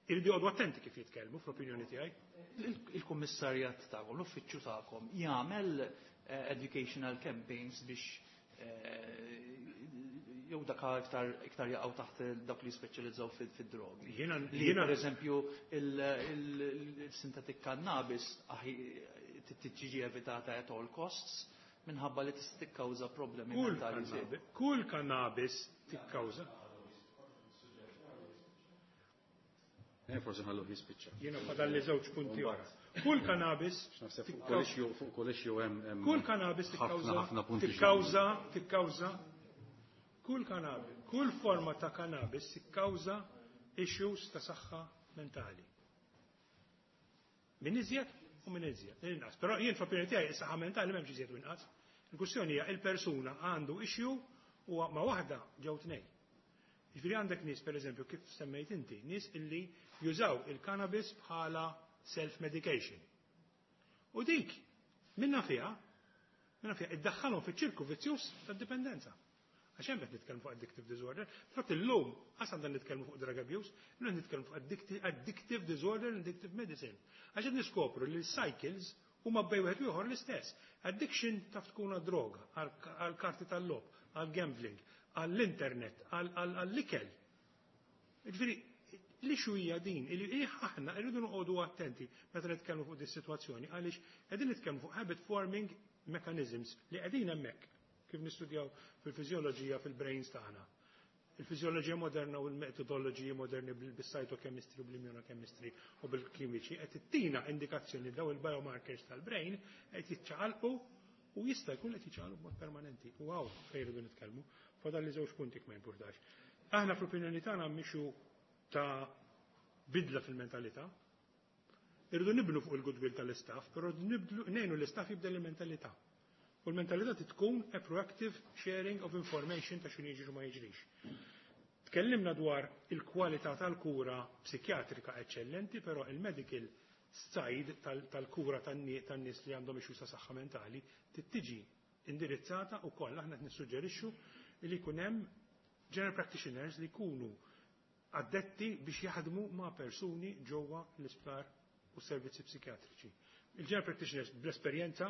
irridu joqogħdu attenti kif jitkellmu, fl-opinjoni tiegħi. Il-kummissarjat tagħkom, l-uffiċċju tagħkom jagħmel educational campaigns biex jew dak iktar jaqgħu taħt dawk li speċjalizzaw fid-drogi? Li per eżempju il-synthetic cannabis tiġi evitata at all costs minħabba li tista' tikkawża problemi Kull mentali. Kull cannabis tikkawża. Forsi ħallu jispiċċa. Jiena fadalli żewġ punti oħra. Kull cannabis Naħseb fuq kull issue, fuq kull issue hemm Kull cannabis ħafna tikkawża ħafna punti. Tikkawża kull cannabis, kull forma ta' cannabis tikkawża issues ta' saħħa mentali. Min iżjed u min iżjed. Inqas. Però jien fl-opinjoni tiegħi is-saħħa mentali m'hemmx iżjed u inqas. Il-kwistjoni hija il-persuna għandu issue u ma' waħda ġew tnejn. Ġifieri għandek nies, pereżempju, kif semmejt inti, nies illi jużaw il-cannabis bħala self-medication. U dik, minna fiha, iddaħħalhom fiċ-ċirku vizzjuż tad-dipendenza. Għax hemm qed nitkellmu fuq addictive disorder. Fatt illum qas għandna nitkellmu fuq drug abuse, illum nitkellmu fuq addictive disorder and addictive medicine. Għax qed niskopru li l-cycles huma bejn wieħed u ieħor l-istess. Addiction taf tkun għad-droga, għal-karti tal-logħob, għal-gambling, għall-internet, għall-ikel. Ġifieri, li hija din, li aħna rridu noqogħdu attenti meta nitkellmu fuq dis sitwazzjoni għaliex qegħdin nitkellmu fuq habit forming mechanisms li qegħdin hemmhekk kif nistudjaw fil-fiżjoloġija fil-brains tagħna. Il-fiżjoloġija moderna u l-metodoloġiji moderni bil-cytochemistry u bil-immunochemistry u bil-kimiċi qed ittina indikazzjoni daw il-biomarkers tal-brain qed jiċċaqalqu u jista' jkun qed jiċċaqalqu b'mod permanenti. U hawn fejn irridu nitkellmu. Fadalli żewġ punti, ma jimpurtax. Aħna fl-opinjoni tagħna mixu ta' bidla fil-mentalità. Irridu nibnu fuq il-goodwill tal-istaff, però ngħinu l-istaff jibdel il-mentalità. U l-mentalità tkun a proactive sharing of information ta' x'inhu jiġri u ma jiġrix. Tkellimna dwar il-kwalità tal-kura psikjatrika eccellenti, però il-medical side tal-kura tan-nies li għandhom issues ta' saħħa mentali tiġi indirizzata u koll aħna qed nissuġġerixxu li jkun hemm general practitioners li jkunu addetti biex jaħdmu ma' persuni ġewwa l-isptar u servizzi psikjatriċi. Il-general practitioners bl-esperjenza,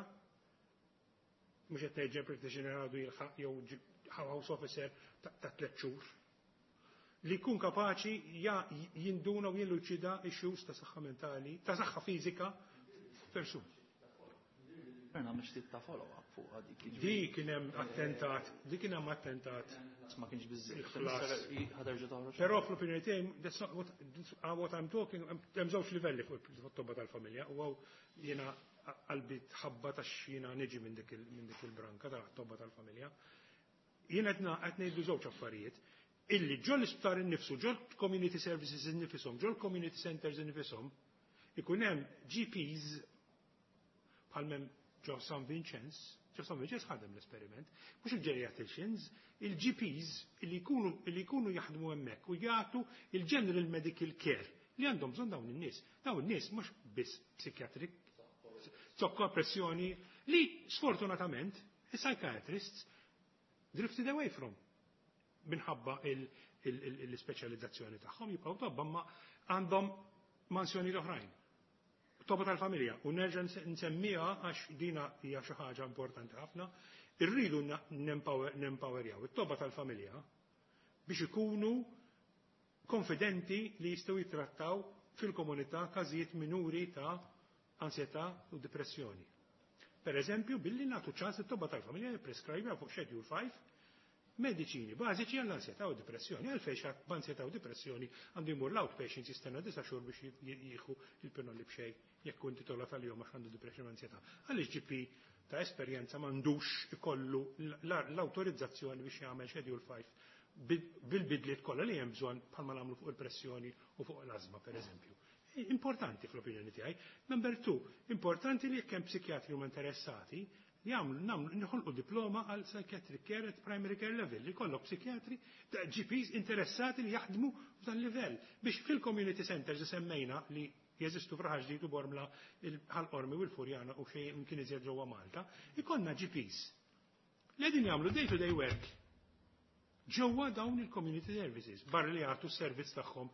mhux qed ngħid general practitioner għadu jilħaq jew house officer ta' 3 xhur, li jkun kapaċi jinduna u jilluċida issues ta' saħħa mentali, ta' saħħa fiżika f'persun. Per nagħmel ftit ta' follow-up fuq dik. Di kien hemm attentat, di kien hemm attentat. Ma kienx biżżejjed. Il-ħlas. Ħa terġa' toħroġ. Però fl-opinjoni tiegħi, that's not what I'm talking, hemm żewġ livelli fuq it-tobba tal-familja u hawn jiena qalbi tħabba ta' xina niġi minn dik il-branka ta' tobba tal-familja. Jiena qed ngħidu żewġ affarijiet illi ġol l-isptar innifsu, ġol community services innifisom, ġol community centers innifisom, ikun hemm GPs bħal m'hemm ġo San Vincenz, ġo San Vincenz ħadem l-esperiment, mhux il-geriatricians, il-GPs illi jkunu jaħdmu hemmhekk u jagħtu il-general medical care li għandhom bżonn dawn in-nies. Dawn in-nies mhux biss psychiatric, zokkor, pressjoni, li sfortunatament il-psychiatrists drifted away from minħabba l-speċjalizzazzjoni tagħhom, jibqgħu tobba ma għandhom mansjoni oħrajn. Tobba tal-familja, u nerġa' nsemmiha għax dina hija xi ħaġa importanti ħafna, Irridu nempowerjaw it-tobba tal-familja biex ikunu konfidenti li jistgħu jitrattaw fil-komunità każijiet minuri ta' ansjetà u depressjoni. Per eżempju, billi nagħtu ċans it-tobba tal-familja jippreskribja fuq Schedule 5 mediċini bażiċi għall-ansjetà u depressjoni. Għalfejn xi b'ansjetà u depressjoni għandu jmur l-outpatients jistenna 9 xhur biex jieħu il-pinnoli b'xejn jekk hu intitolat għalihom għax għandu depressjoni u ansjetà? Għaliex GP ta' esperjenza m'għandux ikollu l-awtorizzazzjoni biex jagħmel Schedule 5 bil-bidliet kollha li hemm bżonn, bħalma nagħmlu fuq il-pressjoni u fuq l-ażma, pereżempju? Importanti fl-opinjoni tiegħi. Number 2, importanti li jekk hemm psikjatri huma interessati, jagħmlu nagħmlu nħolqu diploma għal psychiatric care at primary care level, li jkollok psikjatri, GPs interessati li jaħdmu f'dan livell biex fil-community centers li semmejna li jeżistu f'Raħal Ġdid u Bormla, Ħal Qormi u l-Furjana u xejn imkien iżjed ġewwa Malta, ikollna GPs li qegħdin jagħmlu day to day work ġewwa dawn il-community services, barra li jagħtu s-servizz tagħhom,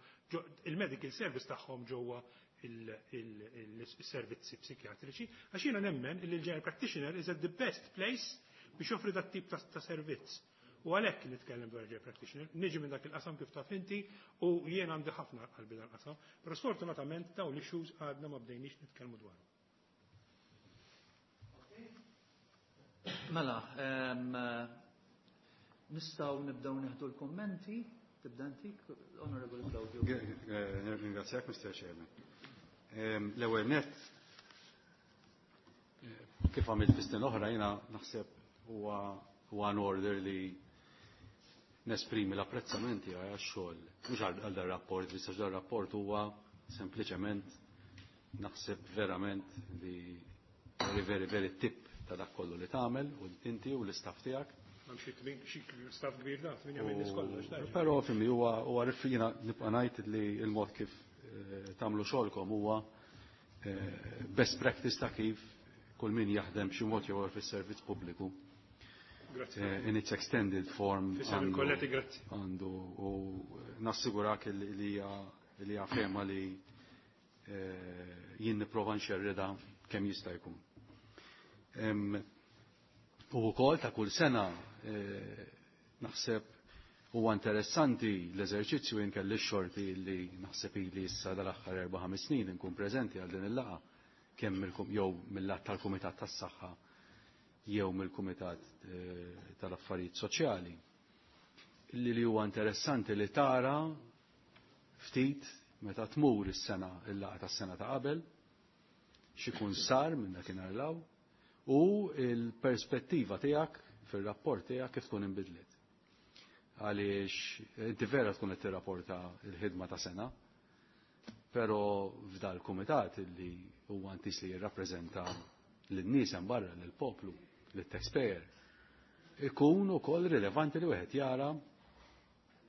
il-medical service tagħhom ġewwa il-servizzi psikjatriċi, għax jiena nemmen li l-general practitioner is at the best place biex joffri dat tip ta' servizz. U għalhekk nitkellem dwar general practitioner, niġi minn dak il-qasam kif taf inti u jien għandi ħafna qalbi dan qasam, però sfortunatament dawn l-issues għadna ma bdejniex nitkellmu dwarhom. Mela, nistgħu nibdew nieħdu l-kummenti. Tibda inti, Honorable Claudio. Ringrazzjak, Mr. Chairman. L-ewwel nett, kif għamilt fi snin oħra, jiena naħseb huwa an order li nesprimi l-apprezzamenti għal xogħol, mhux għal dar rapport, biss għax dar rapport huwa sempliċement naħseb verament li very, very, very tip ta' dak kollu li tagħmel u inti u l-istaff tiegħek. Xi staff kbir da, tminja minn nies kollox. Però fimni huwa jiena nibqa' ngħid li l-mod kif tagħmlu xogħolkom huwa best practice ta' kif kull min jaħdem xi mod jew fis-servizz pubbliku. Grazzi. In its extended form. Fisem il-kollegi, grazzi. Għandu u nassigurak li hija fehma li jien nipprova nxerrida kemm jista' jkun. U wkoll ta' kull sena naħseb huwa interessanti l-eżerċizzju. Jien kelli x-xorti li naħseb ili issa dal-aħħar 4-5 snin nkun preżenti għal din il-laqgħa, kemm jew mill-lat tal-Kumitat tas-Saħħa jew mill-Kumitat tal-Affarijiet Soċjali. Li huwa interessanti li tara ftit meta tmur is-sena il-laqgħa tas-sena ta' qabel x'ikun sar minn dakinhar law u l-perspettiva tiegħek fir-rapport tiegħek kif tkun inbidlet. Għaliex inti vera tkun qed tirrapporta l-ħidma ta' sena, però f'dal kumitat li huwa intis li jirrappreżenta lin-nies hemm barra, lill-poplu, lit-taxpayer, ikun ukoll rilevanti li wieħed jara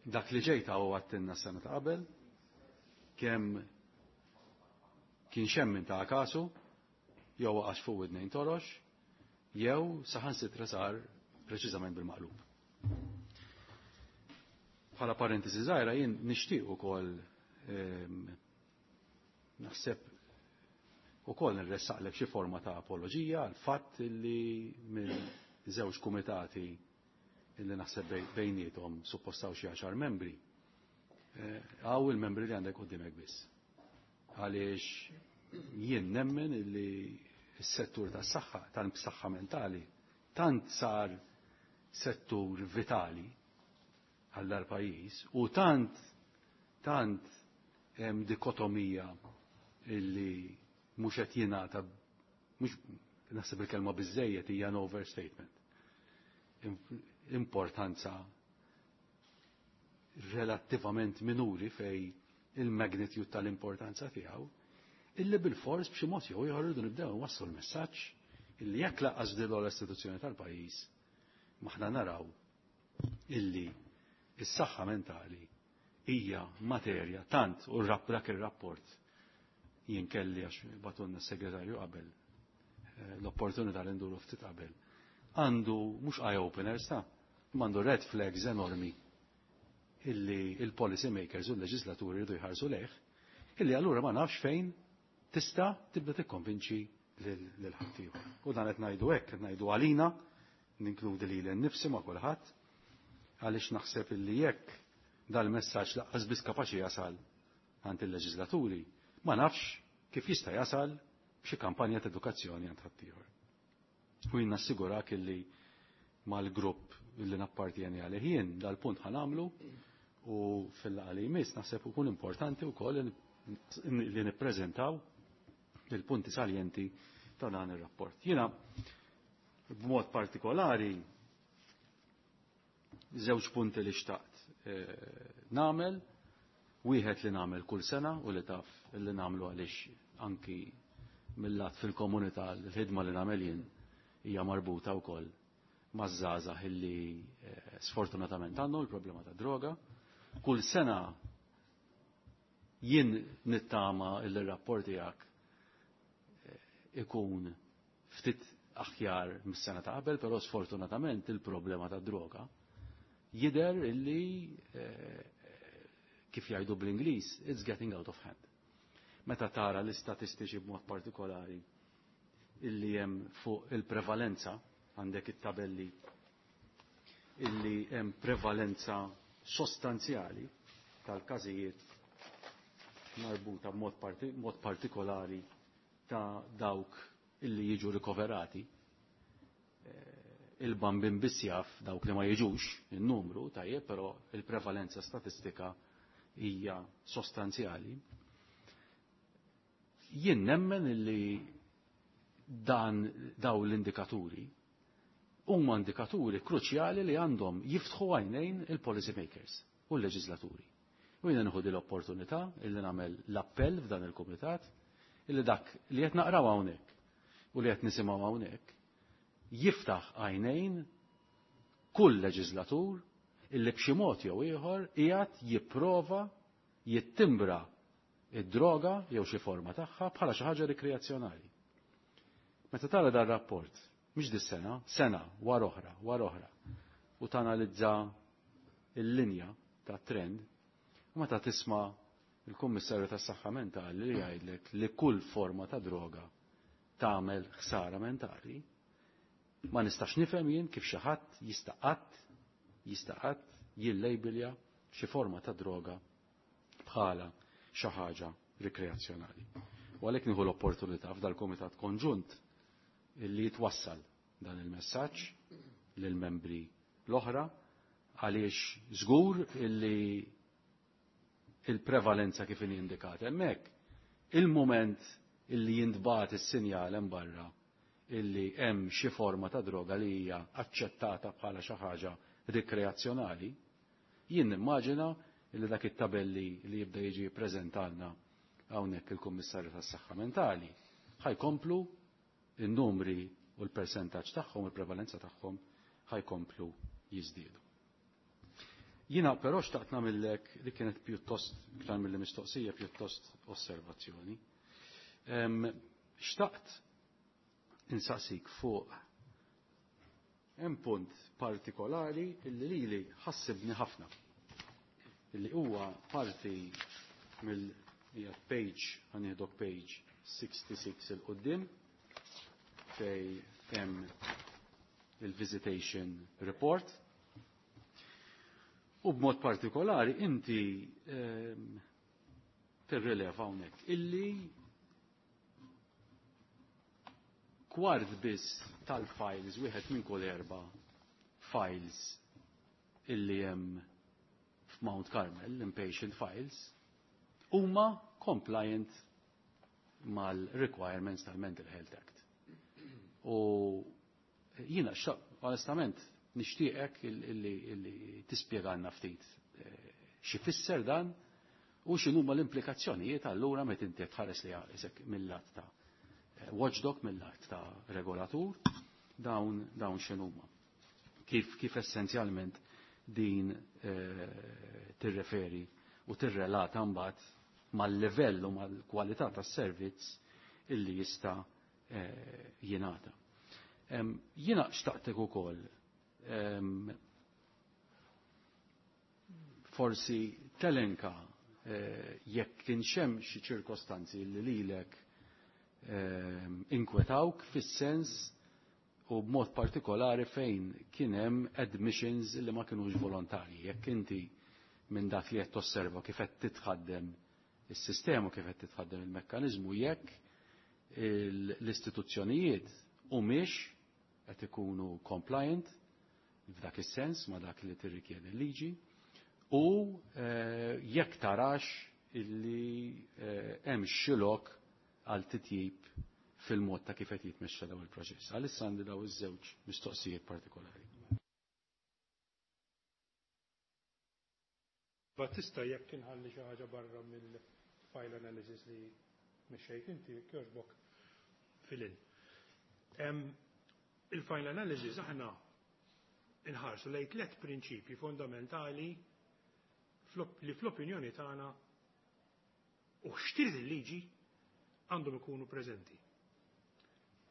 dak li ġejta u għattinna s-sena ta' qabel, kemm kien xemmin ta' kasu, jew waqax fuq widnejn torox, jew saħansitra sar preċiżament bil-maqlub. Bħala parentesi żgħira, jien nixtieq ukoll naħseb ukoll nirressaqlek xi forma ta' apoloġija għal fatt li minn żewġ kumitati illi naħseb bejniethom suppostaw xi 10 membri, hawn il-membri li għandek qudiemek biss. Għaliex jien nemmen illi s-settur tas-saħħa, tal-saħħa mentali, tant sar settur vitali għal dal-pajjiż u tant hemm dikotomija illi mhux qed jingħata, mhux naħseb il-kelma biżejjed hija an overstatement. Importanza relattivament minuri fej il-magnitude tal-importanza tiegħu, illi bil-fors b'xi mod jew ieħor irridu nibdew nwasslu l-messaġġ illi jekk lanqas din l-istituzzjoni tal-pajjiż maħna naraw illi is-saħħa mentali hija materja tant u dak ir-rapport jien kelli għax batunna s-segretarju qabel l-opportunità li nduru ftit qabel. Għandu mhux eye openers ta' għandu red flags enormi illi il-policy makers u l-leġislaturi jridu jħarsu lejh, illi allura ma nafx fejn tista' tibda tikkonvinċi lil ħaddieħor. U dan qed ngħidu hekk, qed ngħidu għalina. Ninkludi lili nnifsi ma' kulħadd, għaliex naħseb illi jekk dal-messaġġ laqqas biss kapaċi jasal għand il-leġislaturi, ma nafx kif jista' jasal b'xi kampanja ta' edukazzjoni għand ħaddieħor. U jien nassigurak illi mal-grupp illi nappartjeni għalih jien dal-punt ħanamlu u fil-laqgħa li jmiss naħseb ikun importanti wkoll li nippreżentaw il-punti saljenti ta' dan ir-rapport. Jiena b'mod partikolari żewġ punti li xtaqt nagħmel, wieħed li nagħmel kull sena u li taf li nagħmlu għaliex anki mill-lat fil-komunità l-ħidma li nagħmel jien hija marbuta wkoll maż-żgħażagħ illi sfortunatament għandhom il-problema ta' droga. Kull sena jien nittama il-rapport tiegħek ikun ftit aħjar mis-sena ta' qabel, però sfortunatament il-problema ta' droga jidher illi kif jgħidu bl-Ingliż, it's getting out of hand. Meta tara l-istatistiċi b'mod partikolari illi hemm fuq il-prevalenza, għandek it-tabelli illi hemm prevalenza sostanzjali tal-każijiet marbuta b'mod partikolari ta' dawk illi jiġu rikoverati. Il-bambin biss jaf dawk li ma jiġux in-numru tajjeb, però il-prevalenza statistika hija sostanzjali. Jien nemmen illi dan daw l-indikaturi huma indikaturi kruċjali li għandhom jiftħu għajnejn il-policy makers u l-leġislaturi. U jiena nieħu l-opportunità illi nagħmel l-appell f'dan il-kumitat illi dak li qed naqraw hawnhekk u li qed nisimgħu hawnhekk jiftaħ għajnejn kull leġislatur illi b'xi mod jew ieħor qiegħed jipprova jittimbra id-droga jew xi forma tagħha bħala xi ħaġa rikreazzjonali. Meta tara dar rapport, mhix dis-sena, sena wara oħra, wara oħra, u tanalizza l-linja ta' trend, u meta tisma' il-Kummissarju tas-Saħħa Mentali li jgħidlek li kull forma ta' droga tagħmel ħsara mentali, ma nistax nifhem jien kif xi ħadd jista' qatt jista' qatt jillejbilja xi forma ta' droga bħala xi ħaġa rikreazzjonali. U għalhekk nieħu l-opportunità f'dal-Kumitat Konġunt illi jitwassal dan il-messaġġ lill-membri l-oħra għaliex żgur illi il-prevalenza kif inhi indikata hemmhekk, il-mument illi jintbagħat is-sinjal hemm barra illi hemm xi forma ta' droga li hija aċċettata bħala xi ħaġa rikreazzjonali, jien nimmaġina illi dak it-tabelli li jibda jiġi ppreżentalna hawnhekk il-Kummissarju tas-Saħħa Mentali ħajkomplu in-numri u l-persentaġġ tagħhom u l-prevalenza tagħhom ħajkomplu jiżdiedu. Jiena però xtaqt nagħmellek li kienet pjuttost iktar milli mistoqsija pjuttost osservazzjoni. Xtaqt insaqsik fuq hemm punt partikolari illi lili ħassibni ħafna. Illi huwa parti mill hija page ħanieħdok page 66 il quddiem fej hemm il-visitation report. U b'mod partikolari inti tirrileva hawnhekk illi kwart biss tal-files, wieħed minn kull erba' files illi hemm f'Mount Carmel, l-inpatient files, huma compliant mal-requirements tal-Mental Health Act. U jiena onestament nixtieqek illi tispjegalna ftit xi fisser dan u x'inhuma l-implikazzjonijiet allura meta inti tħares li isek mill-lat ta' watchdog, mill-lat ta' regolatur, dawn x'inhuma. Kif essenzjalment din tirreferi u tirrelata mbagħad mal-livell u mal-kwalità tas-servizz illi jista' jingħata. Jiena xtaqtek ukoll forsi telenka jekk kienx hemm xi ċirkostanzi li lilek inkwetawk fis-sens u b'mod partikolari fejn kien hemm admissions li ma kinux volontarji. Jekk inti minn dak li qed tosserva kif qed titħaddem is-sistema, kif qed titħaddem il-mekkaniżmu, jekk l-istituzzjonijiet humiex qed ikunu compliant f'dak is-sens ma' dak li tirrikjedi l-liġi u jekk tarax illi hemm xi lok għal titjib fil-mod ta' kif qed jitmexxa daw il-proċess. Għalissa għandi daw iż-żewġ mistoqsijiet partikolari. Battista, jekk inħalli xi ħaġa barra mill-file analysis li mexxejt inti, jogħġbok filin. Il-file analysis aħna inħarsu lejn tliet prinċipji fondamentali li fl-opinjoni tagħna u x'trid il-liġi għandhom ikunu preżenti.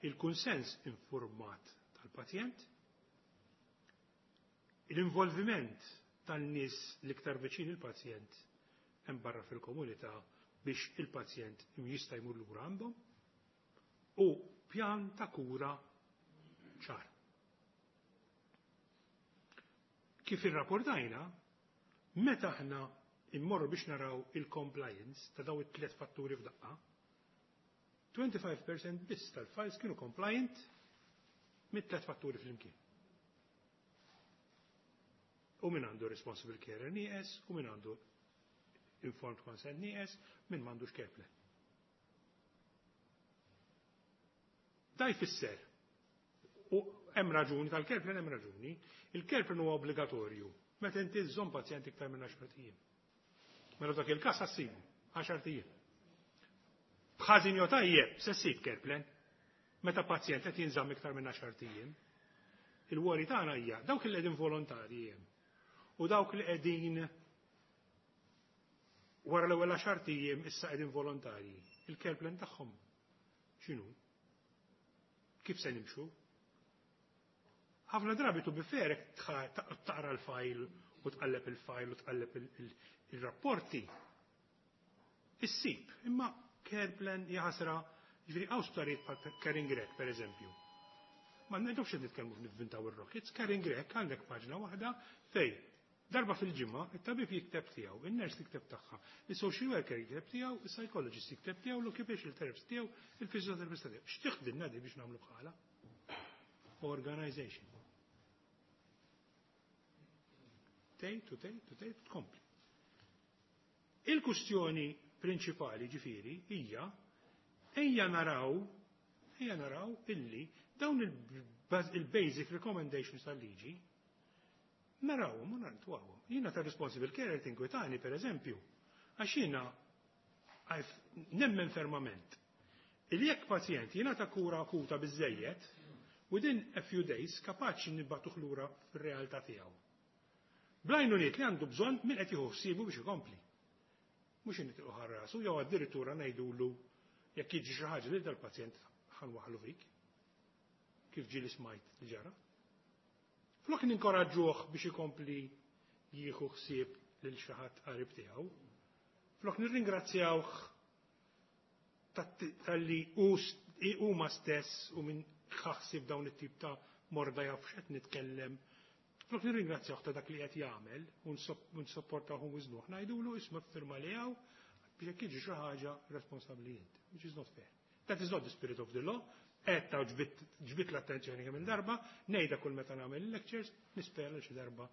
Il-kunsens informat tal-pazjent, l-involviment tan-nies l-iktar viċin il-pazjent hemm barra fil-komunità biex il-pazjent jista' jmur lura għandhom, u pjan ta' kura ċar. Kif irrapportajna, meta aħna immorru biex naraw il-compliance ta' daw it-tliet fatturi f'daqqa, 25% biss tal-files kienu compliant mit-tliet fatturi flimkien. U min għandu responsible care nieqes, u min għandu informed consent nieqes, min m'għandux care plan. Da jfisser, u hemm raġuni tal-care plan, hemm raġuni, il-care plan huwa obbligatorju meta inti żżomm pazjent iktar minn 10 ijiem. Mela dak il-każ ħassibu 10 ijiem. B'ħażin jew tajjeb se ssib care plan meta pazjent qed jinżamm iktar minn 10 ijiem. Il-worry tagħna hija dawk li qegħdin volontarji hemm u dawk li qegħdin wara l-ewwel 10 ijiem issa qegħdin volontarji. Il-care plan tagħhom x'inhu? Kif se nimxu? Ħafna drabi tu biferek taqra l-fajl u tqalleb il-fajl u tqalleb il-rapporti. Issib, imma care plan jaħasra, ġifieri hawn sptarijiet bħal Caring Grech, per eżempju. Ma ngħidux qed nitkellmu nivvintaw ir-rockets, Caring Grech għandek paġna waħda fej darba fil-ġimgħa it-tabib jikteb tiegħu, in-nurse tikteb tagħha, is-social worker jikteb tiegħu, is-psychologist jikteb tiegħu, l-occupational therapist tiegħu, il-physiotherapist tiegħu. X'tiħdilna di biex nagħmlu bħala? Organization. Tgħid u tgħid u tgħid u tkompli. Il-kustjoni prinċipali ġifieri hija ejja naraw illi dawn il-basic recommendations tal-liġi narawhom u nartwawhom. Jiena ta' responsible carer tinkwetani per eżempju, għax jiena nemmen fermament il jekk pazjent jiena ta' kura akuta biżejjed, within a few days kapaċi nibatuh lura fir-realtà tiegħu. Bl-għajnuniet li għandu bżonn min qed jieħu ħsiebu biex ikompli. Mhux nitilqu ħarrasu jew addirittura ngħidulu jekk jiġi xi ħaġa lil dal-pazjent ħanwaħlu fik. Kif ġieli smajt li ġara. Flok ninkoraġġuh biex ikompli jieħu ħsieb lil xi ħadd qarib tiegħu. Flok nirringrazzjawh talli huma stess u minn ħaħsib dawn it-tip ta' morda jaf x'qed nitkellem. Flok nirringrazzjawh ta' dak li qed jagħmel u nsopportawh u wiżnuh, ngħidulu isma' firma li hawn biex jekk jiġi xi ħaġa responsabbli int, which is not fair. That is not the spirit of the law. Qed ta' ġbit l-attenzjoni kemm il-darba, ngħidha kull meta nagħmel il-lectures, nispera li xi darba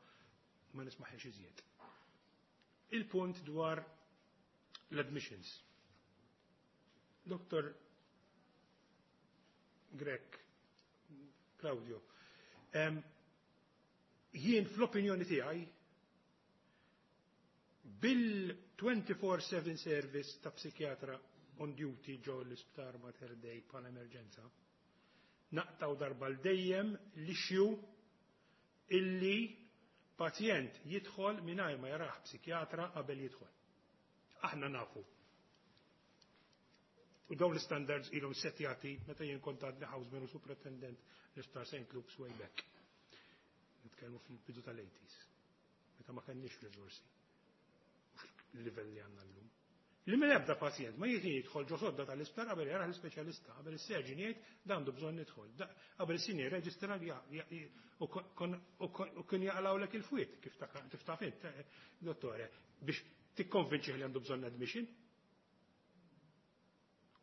ma nismaħiex iżjed. Il-punt dwar l-admissions. Dr. Grech, Claudio, jien fl-opinjoni tiegħi bil-24/7 service ta' psikjatra on duty ġo l-isptar Mater Dei bħala emerġenza, naqtaw darba l-dejjem l-issue illi pazjent jidħol mingħajr ma jaraħ psikjatra qabel jidħol. Aħna nafu. U dawn l-standards ilhom setjati meta jien kont għadni houseman u superintendent l-isptar St. Luke's way back. Nitkellmu fil-bidu tal-80s. Meta ma kenniex riżorsi. Mhux il-livell li għandna llum. Li minn ebda pazjent ma jiġi jidħol ġo sodda tal-isptar qabel jarah l-ispeċjalista, qabel is-surgeon jgħid dan għandu bżonn jidħol. Qabel is-senior registrar u kien jaqlawlek il-fwied kif taf int, dottore, biex tikkonvinċih li għandu bżonn admission.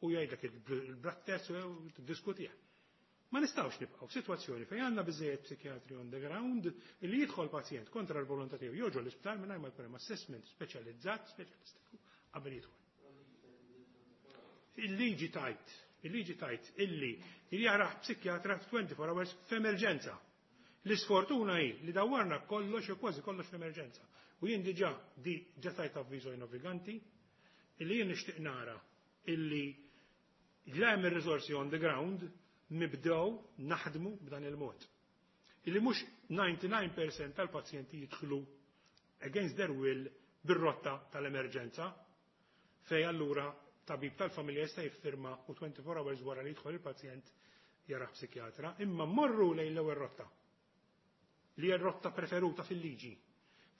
U jgħidlek il-blood test u tiddiskutih. Ma nistgħux nibqgħu f'sitwazzjoni fejn għandna biżejjed psikjatri on the ground li jidħol pazjent kontra l-volontà tiegħu joġo l-isptar mingħajr ma jkun hemm assessment speċjalizzat, speċjalistiku qabel jidħol. Il-liġi tajt illi jarah psikjatra 24 hours f'emerġenza. L-isfortuna hi li dawwarna kollox u kważi kollox f'emerġenza. U jien diġà di ġa tajt avviżo naviganti illi jien nixtieq nara illi la hemm ir-riżorsi on the ground nibdew naħdmu b'dan il-mod. Illi mhux 99% tal-pazjenti jidħlu against their will bir-rotta tal-emerġenza, fej allura tabib tal-familja jista' jiffirma u 24 hours wara li jidħol il-pazjent jarah psikjatra, imma morru lejn l-ewwel rotta li hija rotta preferuta fil-liġi.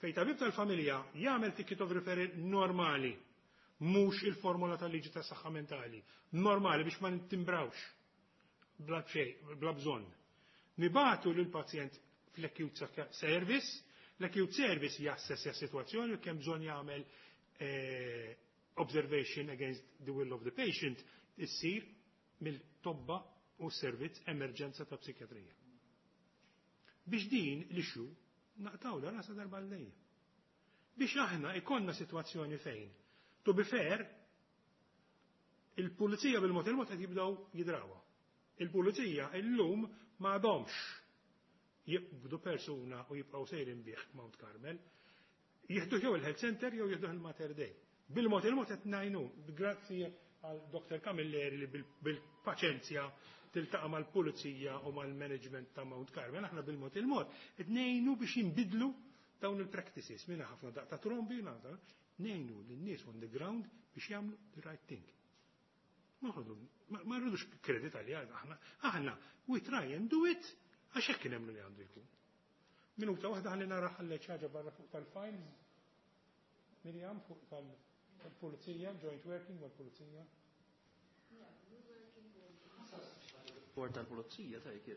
Fej tabib tal-familja jagħmel ticket of referral normali, mhux il-formola tal-liġi tas saħħa mentali, normali biex ma ntimbrawx bla xejn, bla bżonn. Nibagħtu lil pazjent fl-acute service, l-acute service jassessja s-sitwazzjoni u kemm bżonn jagħmel observation against the will of the patient issir mill-tobba u servizz emerġenza ta' psikjatrija. Biex din l-issue naqtgħu la rasa darba l Biex aħna ikonna situazzjoni fejn, to be fair, il-pulizija bil-mod il-mod qed jibdew jidrawha. Il-pulizija illum ma għadhomx jibdu persuna u jibqgħu sejrin bih Mount Carmel, jieħdu jew il-health center jew jieħdu il-Mater Dei. Bil-mod il-mod qed ngħinu, grazzi għal Dr. Camilleri li bil-paċenzja tiltaqa' mal-pulizija u mal-management ta' Mount Carmel, aħna bil-mod il-mod qed ngħinu biex jinbidlu dawn il-practices. Minna ħafna daqq ta' trombi, ngħinu lin-nies on the ground biex jagħmlu the right thing. Ma rridux kredit għalija, aħna, we try and do it, għax hekk nemmnu li għandu jkun. Minuta waħda ħalli nara ħalli ħaġa barra fuq tal-files. Miriam, fuq tal-pulizija, joint working mal-pulizija. Rapport tal-pulizija tajk.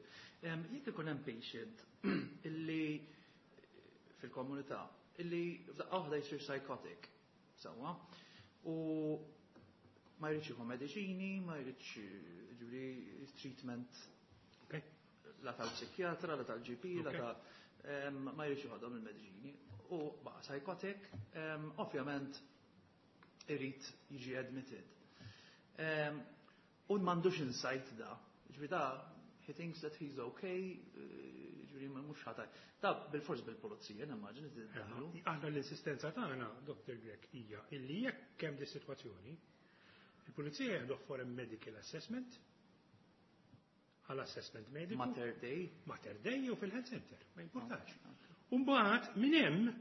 Jekk ikun hemm patient illi fil-komunità illi f'daqqa waħda jsir psychotic, sewwa, u ma jridx jieħu mediċini, ma jridx, ġifieri, treatment la tal-psikjatra, la tal-GP, la ta' ma jridx jieħodhom il-mediċini u baqa' psychotic, ovvjament irid jiġi admitted. U m'għandux insight da, ġifieri da he thinks that he's okay, ġifieri mhux ħataj. Da bil-fors bil-pulizija, nimmaġini tiddaħlu. Aħna l-insistenza tagħna, Dr. Grech, hija illi jekk hemm di sitwazzjoni, il-pulizija jieħdu for a medical assessment, għal assessment mediku. Mater Dei. Mater Dei jew fil-health center, ma importax. Umbagħad minn hemm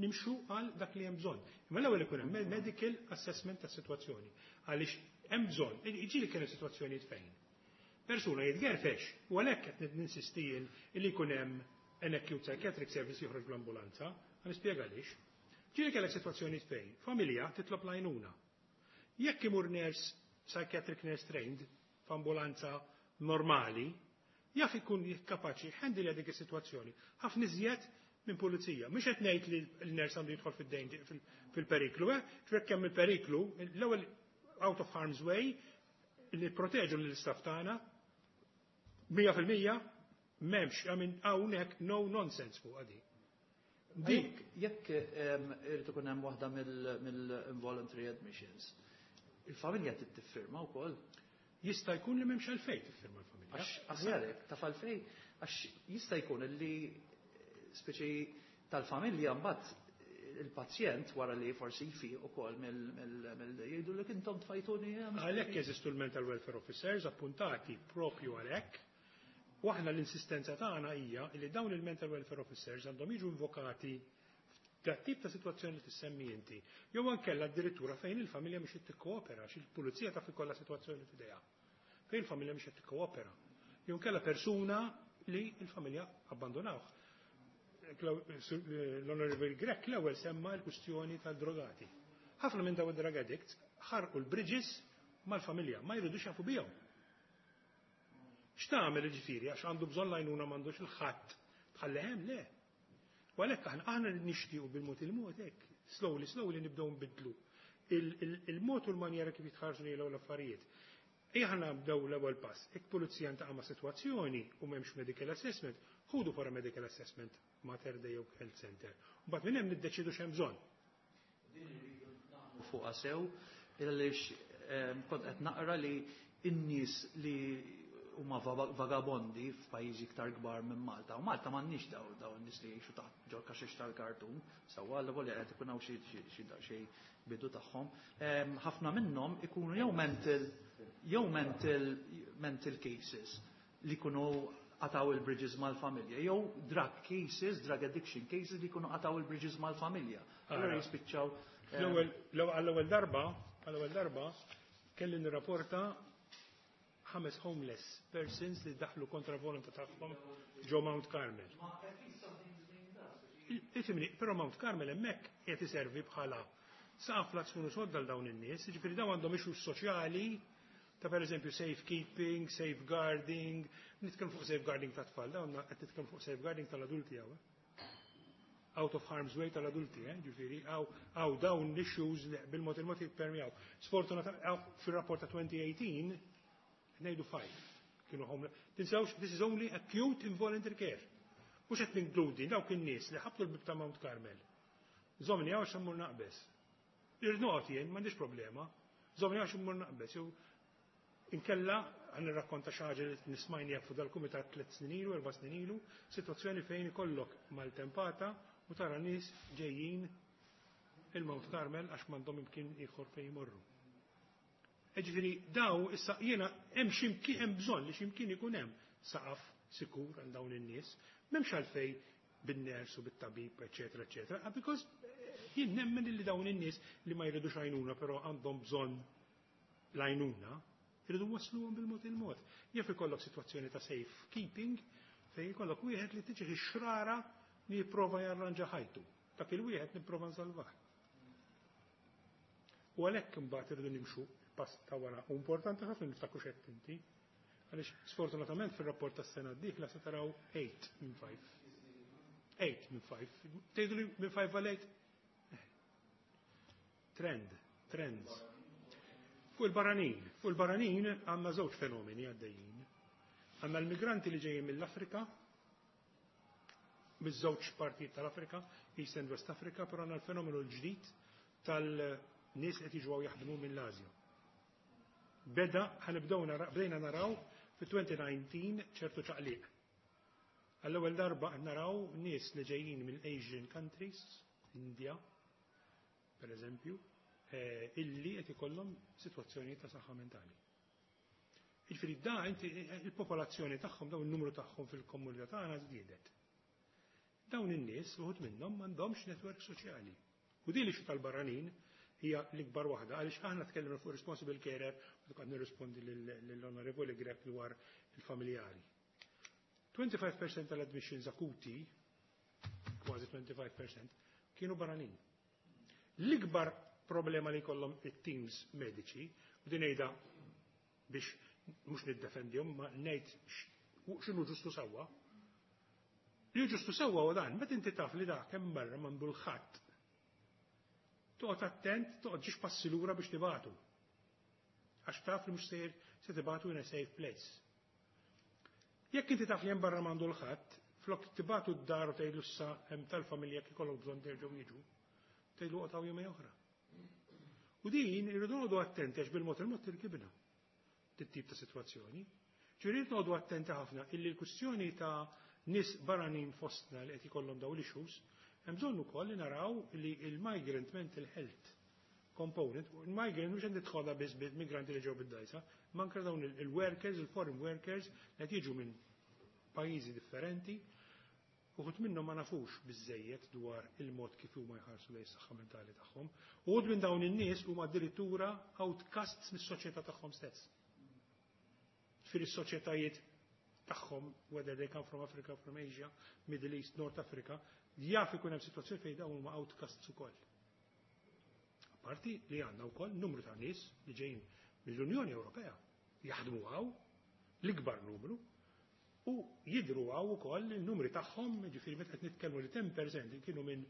nimxu għal dak li hemm bżonn. Imma l-ewwel ikun hemm medical assessment tas-sitwazzjoni. Għaliex hemm bżonn, jiġi li kienu sitwazzjonijiet fejn persuna jitgerfex u għalhekk qed ninsisti jien li jkun hemm an acute psychiatric service joħroġ bl-ambulanza, ħa nispjega għaliex. Ġieli kellek sitwazzjonijiet fejn familja titlob l-għajnuna. Jekk imur nurse, psychiatric nurse trained, f'ambulanza normali, jaf ikun kapaċi handle dik is-sitwazzjoni. Ħafna iżjed minn pulizija. Mhux qed ngħid li l-nurse għandu jidħol fil-periklu, eh? Ġifier kemm il-periklu, l-ewwel out of harm's way, li proteġu l-istaff tagħna 100% m'hemmx, I mean, hawnhekk no nonsense fuq għadi. Dik, jekk irid ikun hemm waħda mill-involuntary admissions, il-familja trid tiffirma wkoll. Jista' jkun li m'hemmx għalfejn tiffirma l-familja. Għax aħjarek taf għalfejn, għax jista' jkun li speċi tal-familja mbagħad il-pazjent wara li forsi jfiq ukoll mill jgħidu li intom tfajtuni hemm. Għalhekk jeżistu l-mental welfare officers appuntati propju għalhekk. U aħna l-insistenza tagħna hija li dawn il-mental welfare officers għandhom jiġu invokati f'dat tip ta' sitwazzjoni li tissemmi inti. Jew ankella addirittura fejn il-familja mhix qed tikkoopera, għax il-pulizija taf ikollha sitwazzjoni f'idejha. Fejn il-familja mhix qed tikkoopera. Jew inkella persuna li l-familja abbandonawh. L-Honorable Grech l-ewwel semma l-kwistjoni tal-drogati. Ħafna minn dawn id-drug addicts Ħarqu l-bridges mal-familja, ma jridux jafu bihom. X'tagħmel ġifieri għax għandu bżonn l-għajnuna, m'għandux il-ħadd tħalli hemm? Le. U għalhekk aħna nixtiequ bil-mod il-mod hekk, slowly, slowly nibdew nbidlu il-mod u l-manjera kif jitħarsu lejn l-affarijiet. Ejja ħa nibdew l-ewwel pass. Jekk pulizija ntaqa' ma' sitwazzjoni u m'hemmx medical assessment, ħudu for a medical assessment Mater Dei jew Health Center. Mbagħad minn hemm niddeċidu x'hemm bżonn. Fuqha sew, għaliex kont qed naqra li n-nies li huma vagabondi f'pajjiżi iktar kbar minn Malta. U Malta m'għandniex daw n-nies li jgħixu taħt ġol kaxex tal-kartun, sewwa għal volja qed ikun hawn xi bidu tagħhom. Ħafna minnhom ikunu jew mental cases li jkunu qataw il-bridges mal-familja, jew drug cases, drug addiction cases li jkunu qataw il-bridges mal-familja. Allora jispiċċaw. Għall-ewwel darba kelli nirrapporta ħames homeless persons li daħlu kontra volontà tagħhom ġo Mount Carmel. Ifhimni, però Mount Carmel hemmhekk qed iservi bħala saqaf la sodda l dawn in-nies, jiġifieri dawn għandhom issues soċjali ta', per eżempju, safekeeping, safeguarding, nitkellmu fuq safeguarding ta' tfal, dawn qed nitkellmu fuq safeguarding tal-adulti hawn. Out of harm's way tal-adulti, eh? Ġifieri, għaw dawn l-issues li bil-mod il-mod jippermjaw. Sfortunatament, fil-rapport ta' 2018, ngħidu 5 kienu homeless. Tinsewx, this is only acute involuntary care. Mhux qed ninkludi dawk in-nies li ħabtu l-bib ta' Mount Carmel. "Żommni hawn għax immur naqbeż. Irrid noqgħod jien, m'għandix problema. Żommni hawn għax immur naqbeż." Jew inkella ħa nirrakkonta xi ħaġa li nismajni fuq dal-kumitat 3 snin ilu, 4 snin ilu, sitwazzjoni fejn ikollok maltempata u tara nies ġejjin il-Mount Carmel għax m'għandhom imkien ieħor fejn jmorru. Ġifieri daw issa jiena hemm x'imkien hemm bżonn li x'imkien ikun hemm saqaf sikur għal dawn in-nies. M'hemmx għalfej bin-ners u bit-tabib, eċetera, eċetera, because jien nemmen li dawn in-nies li ma jridux għajnuna però għandhom bżonn l-għajnuna, jridu wasluhom bil-mod il-mod. Jaf ikollok sitwazzjoni ta' safe keeping fejn ikollok wieħed li tiġi xrara li jipprova jarranġa ħajtu. Dak il-wieħed nipprova nsalvah. U għalhekk imbagħad irridu nimxu pass ta' wara. U importanti ħafna niftakru x'għedt inti. Għaliex sfortunatament fir-rapport tas-sena d-dieħla se taraw 8 minn 5. 8 minn 5. Tgħidu li minn 5 għal 8? Trend, trends. Fuq il-barranin, fuq il-barranin għandna żewġ fenomeni għaddejjin. Għandna l-migranti li ġejjin mill-Afrika, miż-żewġ partijiet tal-Afrika, East and West Africa, però għandna l-fenomenu l-ġdid tal-nies qed jiġu jaħdmu mill-Asja. Beda, ħa nibdew bdejna naraw fi 2019 ċertu ċaqliq. Għall-ewwel darba naraw nies li ġejjin mill-Asian countries, India, per eżempju, illi qed ikollhom sitwazzjoni ta' saħħa mentali. Jiġifieri da inti il-popolazzjoni tagħhom, dawn il-numru tagħhom fil-komunità tagħna żdiedet. Dawn in-nies uħud minnhom m'għandhomx netwerk soċjali. U din li tal-barranin hija l-ikbar waħda, għaliex aħna tkellimna fuq responsible carer u qed nirrispondi lill-Onorevoli Grech dwar il-familjari. 25% tal-admissions akuti, kważi 25%, kienu barranin. L-ikbar problema li jkollhom it-teams mediċi, u din ngħidha biex mhux niddefendihom, ma ngħid x'inhu ġustu sewwa. Li ġustu sewwa u dan, meta inti taf li dak hemm barra m'għandu l-ħadd. Toqgħod attent, toqgħod ġiex passi lura biex tibatu. Għax taf li mhux sejr se tibatu in a safe place. Jekk inti taf li hemm barra m'għandu l-ħadd, flok tibatu d-dar u tgħidlu issa hemm tal-familja kif ikollok bżonn terġgħu jiġu, tgħidlu qotgħu jumej oħra. U din irridu noqogħdu attenti għax bil-mod il-mod tirkibna dit-tip ta' sitwazzjoni. Ġifieri noqogħdu attenti ħafna illi l-kwistjoni ta' nies barranin fostna li qed ikollhom dawn l-issues, hemm bżonn ukoll li naraw li il-migrant mental health component, il-migrant mhux qed nidħolha biss bil-migranti li ġew bid-dajsa, ma anke dawn il-workers, il-foreign workers li qed jiġu minn pajjiżi differenti, uħud minnhom ma nafux biżejjed dwar il-mod kif huma jħarsu lejn is-saħħa mentali tagħhom. Uħud minn dawn in-nies huma addirittura outcasts mis-soċjetà tagħhom stess. Fil-soċjetajiet tagħhom, whether they come from Africa, from Asia, Middle East, North Africa, jaf ikun hemm sitwazzjoni fejn dawn huma outcasts ukoll. Apparti li għandna wkoll numru ta' nies li ġejjin mill-Unjoni Ewropea jaħdmu hawn, l-ikbar numru, u jidhru hawn ukoll il-numri tagħhom, jiġifieri meta qed nitkellmu li 10% kienu minn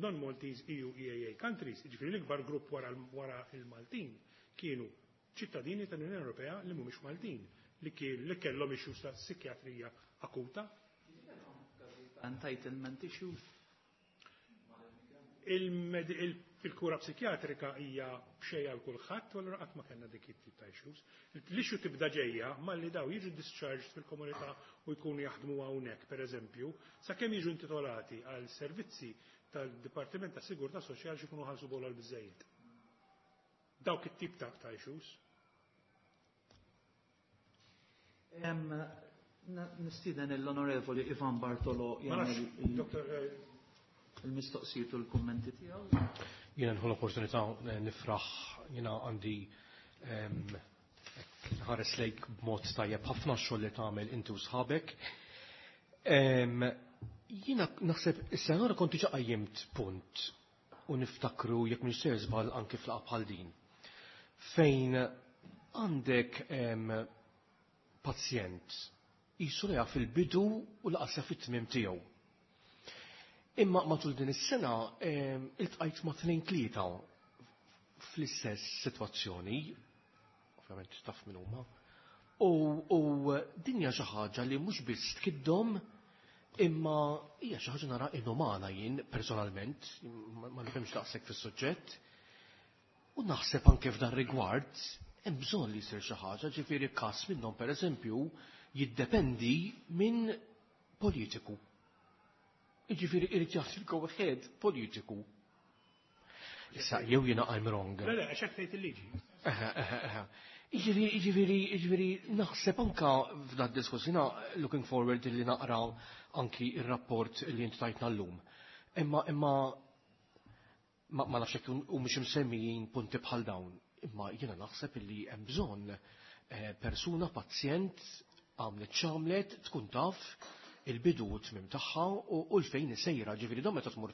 non-Maltese EU EAA countries, jiġifieri l-ikbar grupp wara wara il-Maltin kienu ċittadini tal-Unjoni Ewropea li mhumiex Maltin li kien li kellhom issues ta' psikjatrija akuta. Entitlement issues. Il-kura psikjatrika hija b'xejn għal kulħadd u allura qatt ma kellna dik it-tip ta' issues. L-issue tibda ġejja malli daw jiġu discharged fil-komunità u jkunu jaħdmu hawnhekk, pereżempju, sakemm jiġu intitolati għal servizzi tal-Dipartiment ta' Sigurtà Soċjali xi jkunu ħallsu bola biżejjed. Dawk it-tip ta' issues. Nistieden l-Onorevoli Ivan Bartolo Ma nafx, jagħmel Dr. il-mistoqsijiet u l-kummenti tiegħu. Jiena nħu l-opportunità nifraħ, jiena għandi nħares lejk b'mod tajjeb ħafna x-xogħol li tagħmel inti u sħabek. Jiena naħseb is-sena l kont diġà qajjimt punt u niftakru jekk mhux ser żball anki f'laqgħa bħal din. Fejn għandek pazjent jisu li jaf il-bidu u laqas jaf it-tmiem tiegħu. Imma matul din is-sena iltqajt ma' tnejn tlieta fl-istess sitwazzjoni, ovvjament taf min huma, u din hija xi ħaġa li mhux biss tkiddhom, imma hija xi ħaġa nara inumana jien personalment, ma nifhimx daqshekk fis-suġġett. U naħseb anke f'dan rigward hemm bżonn li jsir xi ħaġa, ġifieri każ minnhom pereżempju jiddependi minn politiku. Jiġifieri irid jagħti l-go ahead politiku. Issa jew jiena I'm wrong. Le, le, għax hekk tgħid il-liġi. Eħe, eħe, eħe. Jiġifieri, naħseb anka f'dan diskors, jiena looking forward li naqra anki ir-rapport li inti tajtna llum. Imma ma nafx jekk hu mhux imsemmijin punti bħal dawn. Imma jiena naħseb illi hemm bżonn persuna, pazjent, għamlet x'għamlet, tkun taf il-bidu u t-tmiem tagħha u l-fejn isejra, ġifieri dawn meta tmur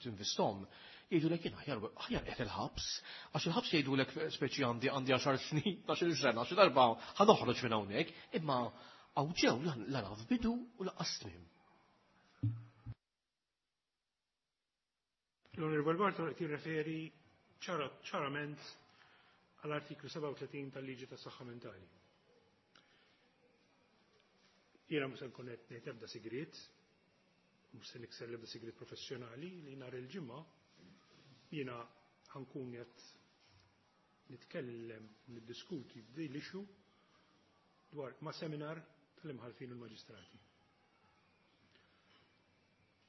tinvistom, jgħidulek jien aħjar qed il-ħabs, għax il-ħabs jgħidulek speċi għandi 10 snin, 12 sena, xi darba ħa noħroġ minn hawnhekk, imma hawn ġew la naf bidu u lanqas tmiem. L-Onorevole Bartolo qed jirreferi ċarament għall-artiklu 37 tal-Liġi tas-Saħħa Mentali. Jiena mhux se nkun qed ngħid ebda sigriet, mhux se nikser l-ebda sigriet professjonali li nhar il-ġimgħa jiena ħankun qed nitkellem u niddiskuti din l-issue dwar ma' seminar tal-imħallfin u l-maġistrati.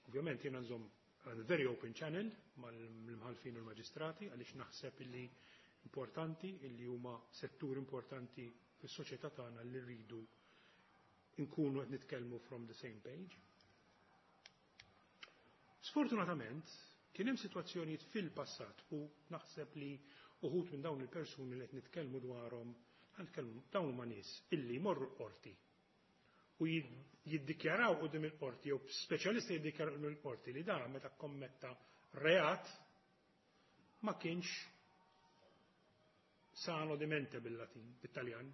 Ovvjament jiena nżomm a very open channel mal-imħallfin u l-maġistrati għaliex naħseb illi importanti illi huma settur importanti fis-soċjetà tagħna li rridu nkunu qed nitkellmu from the same page. Sfortunatament, kien hemm sitwazzjonijiet fil-passat u naħseb li uħud minn dawn il-persuni li qed nitkellmu dwarhom, nitkellmu dawn huma nies illi jmorru l-qorti u jiddikjaraw quddiem il-qorti jew speċjalisti jiddikjaraw quddiem il-qorti li dan meta kommetta reat ma kienx sano di mente bil-Latin, bit-Taljan,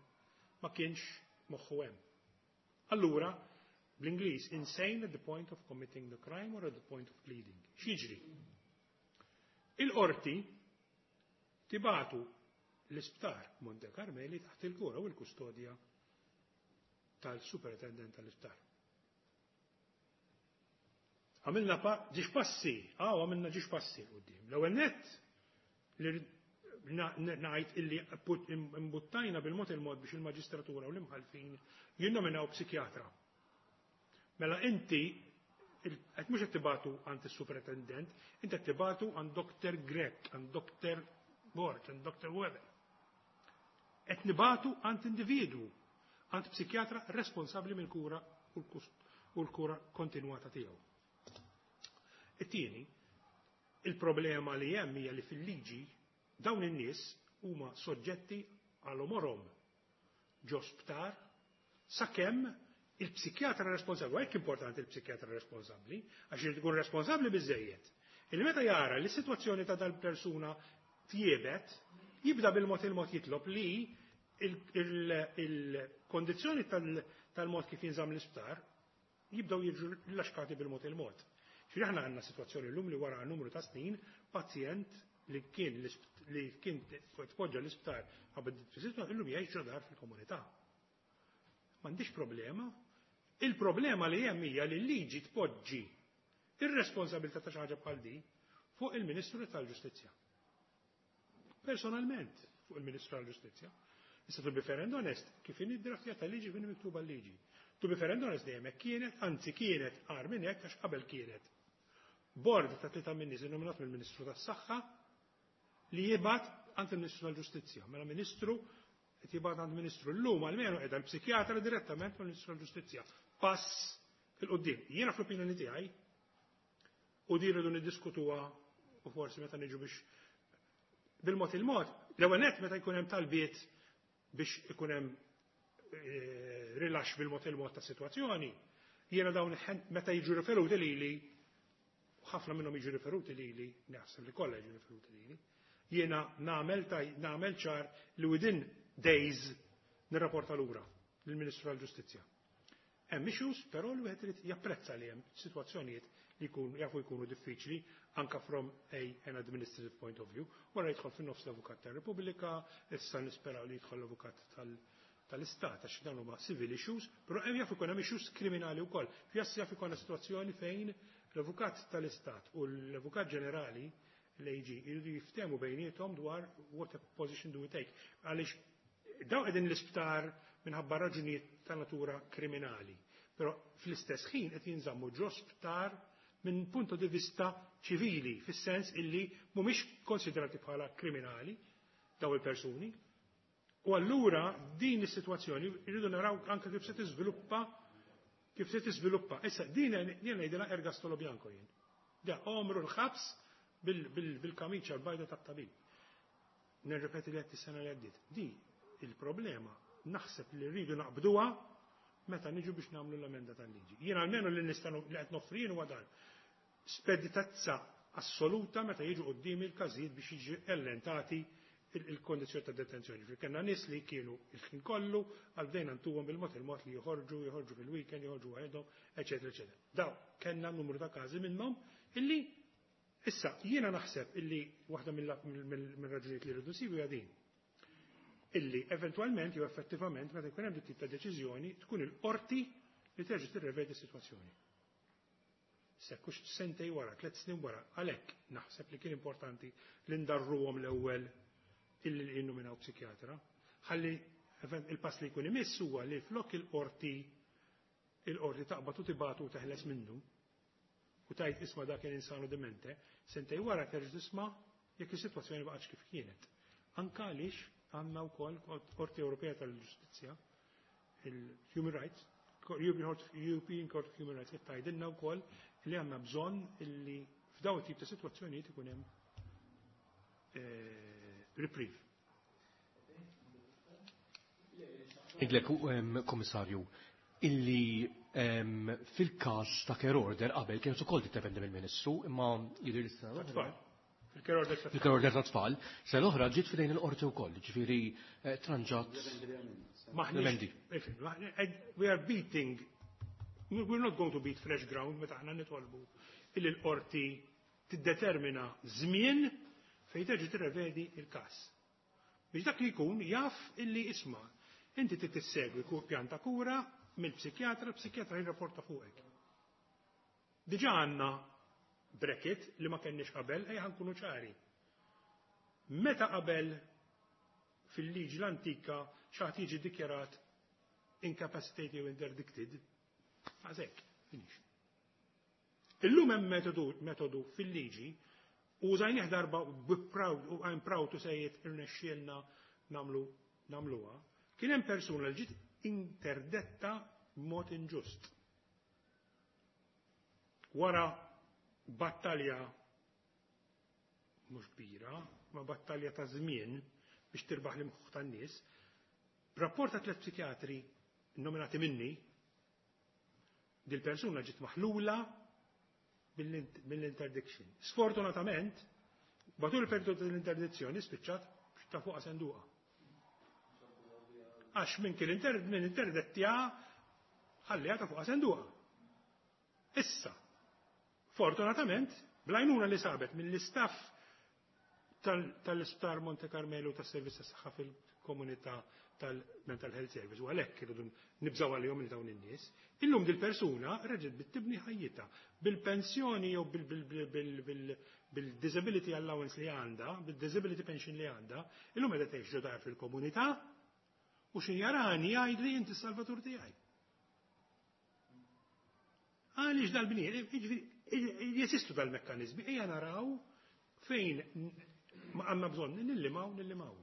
ma kienx moħħu hemm. Allura, bl-Ingliż, insane at the point of committing the crime or at the point of pleading. X'jiġri? Il-qorti tibatu l-isptar Monte Carmeli taħt il-kura u l-kustodja tal-superintendent tal-isptar. Għamilna ġiex passi, għamilna ġiex passi quddiem. L-ewwel nett li ngħid illi imbuttajna bil-mod il-mod biex il-maġistratura u l-imħallfin jinnominaw psikjatra. Mela inti qed mhux qed tibatu għand is-superintendent, inti qed tibatu għand Dr. Grech, għand Dr. Borg, għand Dr. Weber. Qed nibatu għand individwu, għand psikjatra responsabbli mill-kura u l-kura kontinwata tiegħu. It-tieni, il-problema li hemm hija li fil-liġi dawn in-nies huma soġġetti għal omorhom ġo sptar sakemm il-psikjatra responsabbli, u hekk importanti il-psikjatra responsabbli, għax irid ikun responsabbli biżejjed. Illi meta jara li s-sitwazzjoni ta' dal-persuna tjiebet, jibda bil-mod il-mod jitlob li il-kondizzjoni tal-mod kif jinżamm l-isptar jibdew jiġu rilaxkati bil-mod il-mod. Ġifieri aħna għandna sitwazzjoni llum li wara numru ta' snin pazjent li kien tpoġġa l-isptar qabel illum jgħix dar fil-komunità. M'għandix problema. Il-problema li hemm hija li l-liġi tpoġġi ir-responsabilità ta' xi ħaġa bħal di fuq il-Ministru tal-Ġustizzja. Personalment fuq il-Ministru tal-Ġustizzja. Issa, to be fair and honest, kif inhi draftja tal-liġi, kif miktuba l-liġi. To be fair and honest, dejjem hekk kienet, anzi kienet agħar minn hekk, għax qabel kienet bord ta' tlieta min-nies nominat mill-Ministru tas-Saħħa li jibgħat għand il-Ministru tal-Ġustizzja. Mela Ministru qed jibgħat għand Ministru, llum almenu qiegħda l-psikjatra direttament mill-Ministru tal-Ġustizzja. Pass 'il quddiem. Jiena fl-opinjoni tiegħi, u din rridu niddiskutuha u forsi meta niġu biex bil-mod il-mod, l-ewwel nett meta jkun hemm talbiet biex ikun hemm rilax bil-mod il-mod ta' situazzjoni, jiena dawn meta jiġu riferuti lili, ħafna minnhom jiġu riferuti lili, naħseb li kollha jiġu riferuti lili, jiena nagħmel ċar li within days nirrapporta lura lill-Ministru tal-Ġustizzja. Hemm issues, però li wieħed irid japprezza li hemm sitwazzjonijiet li jkun jafu jkunu diffiċli anka from an administrative point of view. Wara jidħol fin-nofs l-Avukat tar-Repubblika, issa nisperaw li jidħol l-Avukat tal-Istat, għax dawn huma civil issues, però hemm jaf ikun hemm issues kriminali wkoll. Fjass jaf ikun sitwazzjoni fejn l-Avukat tal-Istat u l-Avukat Ġenerali, l-AG, jridu jiftehmu bejniethom dwar what a position do we take. Għaliex daw qegħdin l-isptar minħabba raġunijiet ta' natura kriminali. Però fl-istess ħin qed jinżammu ġo sptar minn punto di vista ċivili, fis-sens illi mhumiex konsiderati bħala kriminali daw il-persuni. U allura din is-sitwazzjoni rridu naraw anke kif se tiżviluppa. Issa din jien ngħidilha ergastolo bianco jien. Da għomru l-ħabs bil-kamiċa l-bajda tat-tabib. Nirrepeti li għedt is-sena li għaddiet. Di il-problema naħseb li rridu naqbduha meta niġu biex nagħmlu l-emenda tal-liġi. Jien almenu li nista' li qed noffri huwa dan. Speditezza assoluta meta jiġu quddiem il-każijiet biex jiġi allentati il-kondizjoni ta' detenzjoni. Fi kellna nies li kienu il-ħin kollu, għal bdejna ntuhom bil-mod il-mod li joħorġu, joħorġu fil-weekend, joħorġu waħedhom, eċetera, eċetera. Daw kellna numru ta' każi minnhom illi issa jiena naħseb illi waħda mill-raġunijiet li rridu nsibu hija din. Illi eventwalment jew effettivament meta jkun hemm tip ta' deċiżjoni tkun il-qorti li terġa' tirrevedi s-sitwazzjoni. Sekkux sentej wara, 3 snin wara, għalhekk naħseb li kien importanti li ndarruhom l-ewwel illi jinnominaw psikjatra. Ħalli il-pass li jkun imiss huwa li flok il-qorti taqbad u tibatu u teħles minnu u tgħid, "Isma', dak kien insano demente," sentej wara terġa' tisma' jekk is-sitwazzjoni baqgħetx kif kienet. Anka għaliex għandna wkoll Qorti Ewropea tal-Ġustizzja, il-Human Rights, European Court of Human Rights, qed tgħidilna wkoll li għandna bżonn illi f'daw it-tip ta' sitwazzjonijiet ikun hemm reprieve. Idlek, Komissarju, illi fil-kas ta' care order qabel kienet ukoll tiddependi mill-Ministru, imma jidher li s-sena Tfal. Fil-care order ta' fil-care order ta' tfal, se l-oħra ġiet f'idejn il-qorti wkoll, ġifieri tranġat Maħniex. We are beating, we're not going to beat fresh ground meta aħna nitolbu illi l-qorti tiddetermina żmien fejn terġa' tirrevedi il-każ. Biex dak li jkun jaf illi, isma', inti trid tissegwi pjan ta' kura mill-psikjatra, l-psikjatra jirrapporta fuqek. Diġà għandna bracket li ma kenniex qabel, ejja nkunu ċari. Meta qabel fil-liġi l-antika xi ħadd jiġi dikjarat incapacitated u interdicted, għazek, finish. Illum hemm metodu fil-liġi u użajnieh darba u proud, u I'm proud to say it, irnexxielna nagħmluha. Kien hemm persuna li ġiet interdetta b'mod inġust. Wara battalja mhux kbira, ma battalja ta' żmien biex tirbaħ l-imħuħ tan-nies, rapport ta' tliet psikjatri nominati minni, dil-persuna ġiet maħlula mill-interdiction. Sfortunatament, Matul il-periodu tal-interdizzjoni spiċċat ta' fuq senduqa. Għax minn kien minn interdettja ħalliha ta' fuq senduqa. Issa, fortunatament, bl-għajnuna li sabet mill-istaff tal-Isptar Monte Carmelo tas-Servizz tas-Saħħa fil-Komunità tal-Mental Health Service u għalhekk irridu nibżgħu għalihom li dawn in-nies. Illum dil-persuna reġgħet bdiet tibni ħajjitha bil-pensjoni jew bil-disability allowance li għandha, bil-disability pension li għandha, illum qiegħda tgħix ġo dar fil-komunità u x'ħin jarani jgħidli, "Inti s-salvatur tiegħi." Għaliex dal-bniet, jeżistu dal-mekkanizmi, ejja naraw fejn ma għandna bżonn nillimaw, nillimaw.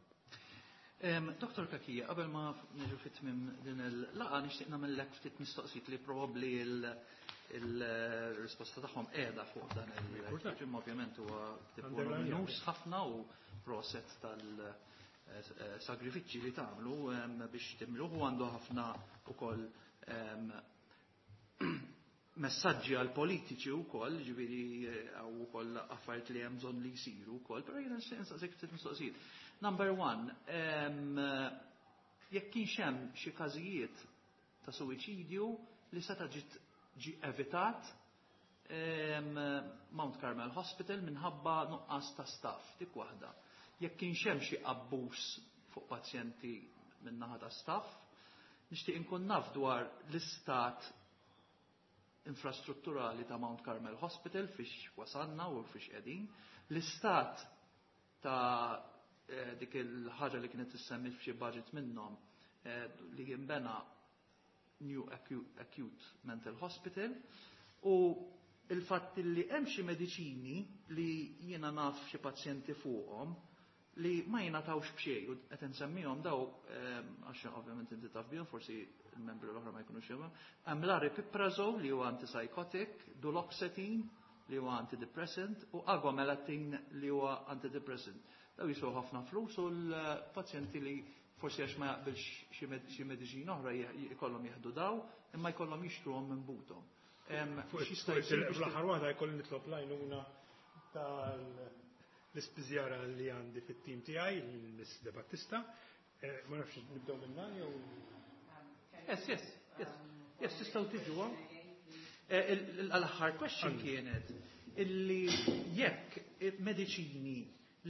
Dr. Cachia, qabel ma niġu fit-tmim din il-laqgħa, nixtieq nagħmellek ftit mistoqsijiet li probabbli il-risposta tagħhom qiegħda fuq dan il-ġim. Ovvjament huwa voluminus ħafna u proset tal-sagrifiċċji li tagħmlu biex timluh u għandu ħafna ukoll messaġġi għal politiċi wkoll, ġifieri għaw ukoll affarijiet li hemm bżonn li jsiru wkoll, però jiena nixtieq insaqsik ftit mistoqsijiet. Number one, jekk kienx hemm xi każijiet ta' suwiċidju li seta' ġiet ġi evitat Mount Carmel Hospital minħabba nuqqas ta' staff, dik waħda. Jekk kienx hemm xi abbuż fuq pazjenti min-naħa ta' staff, nixtieq inkun naf dwar l-istat infrastrutturali ta' Mount Carmel Hospital, fiex wasanna u fiex qegħdin, l-istat ta' dik il-ħaġa li kienet tissemmi f'xi budget minnhom li jinbena New Acute Mental Hospital u il-fatt li hemm xi mediċini li jiena naf xi pazjenti fuqhom li ma jingħatawx b'xejn u qed insemmihom daw għax ovvjament inti taf bihom, forsi il-membri l-oħra ma jkunux jafhom. Hemm l-aripiprazole li huwa antipsychotic, duloxetine li huwa antidepressant u agomelatine li huwa antidepressant. Daw jiswew ħafna flus u l-pazjenti li forsi għax ma jaqbilx xi mediċina oħra jkollhom jieħdu daw, imma jkollhom jixtruhom minn buthom. X'jista' jsir biex Fl-aħħar waħda jkolli nitlob l-għajnuna tal-ispiżjara li għandi fit-tim tiegħi, il-Miss De Battista. Ma nafx nibdew minna jew Yes, tistgħu tiġu. L-aħħar question kienet illi jekk mediċini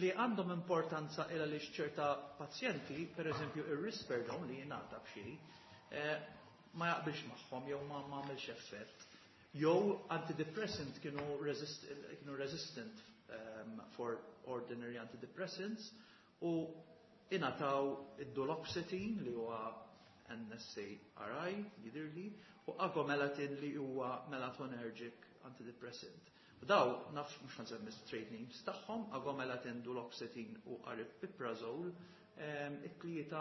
li għandhom importanza illa li ċerta pazjenti, per eżempju ir-Risperdal li jingħata b'xi, ma jaqbilx magħhom jew ma għamilx effett. Jew antidepressant kienu resistant for ordinary antidepressants u ingħataw id-duloxetine li huwa SSRI jidirli u agomelatine li huwa melatonergic antidepressant. U daw naf mhux nsemmi trade names tagħhom, agomelatine, duloxetine u aripiprazole, it-tlieta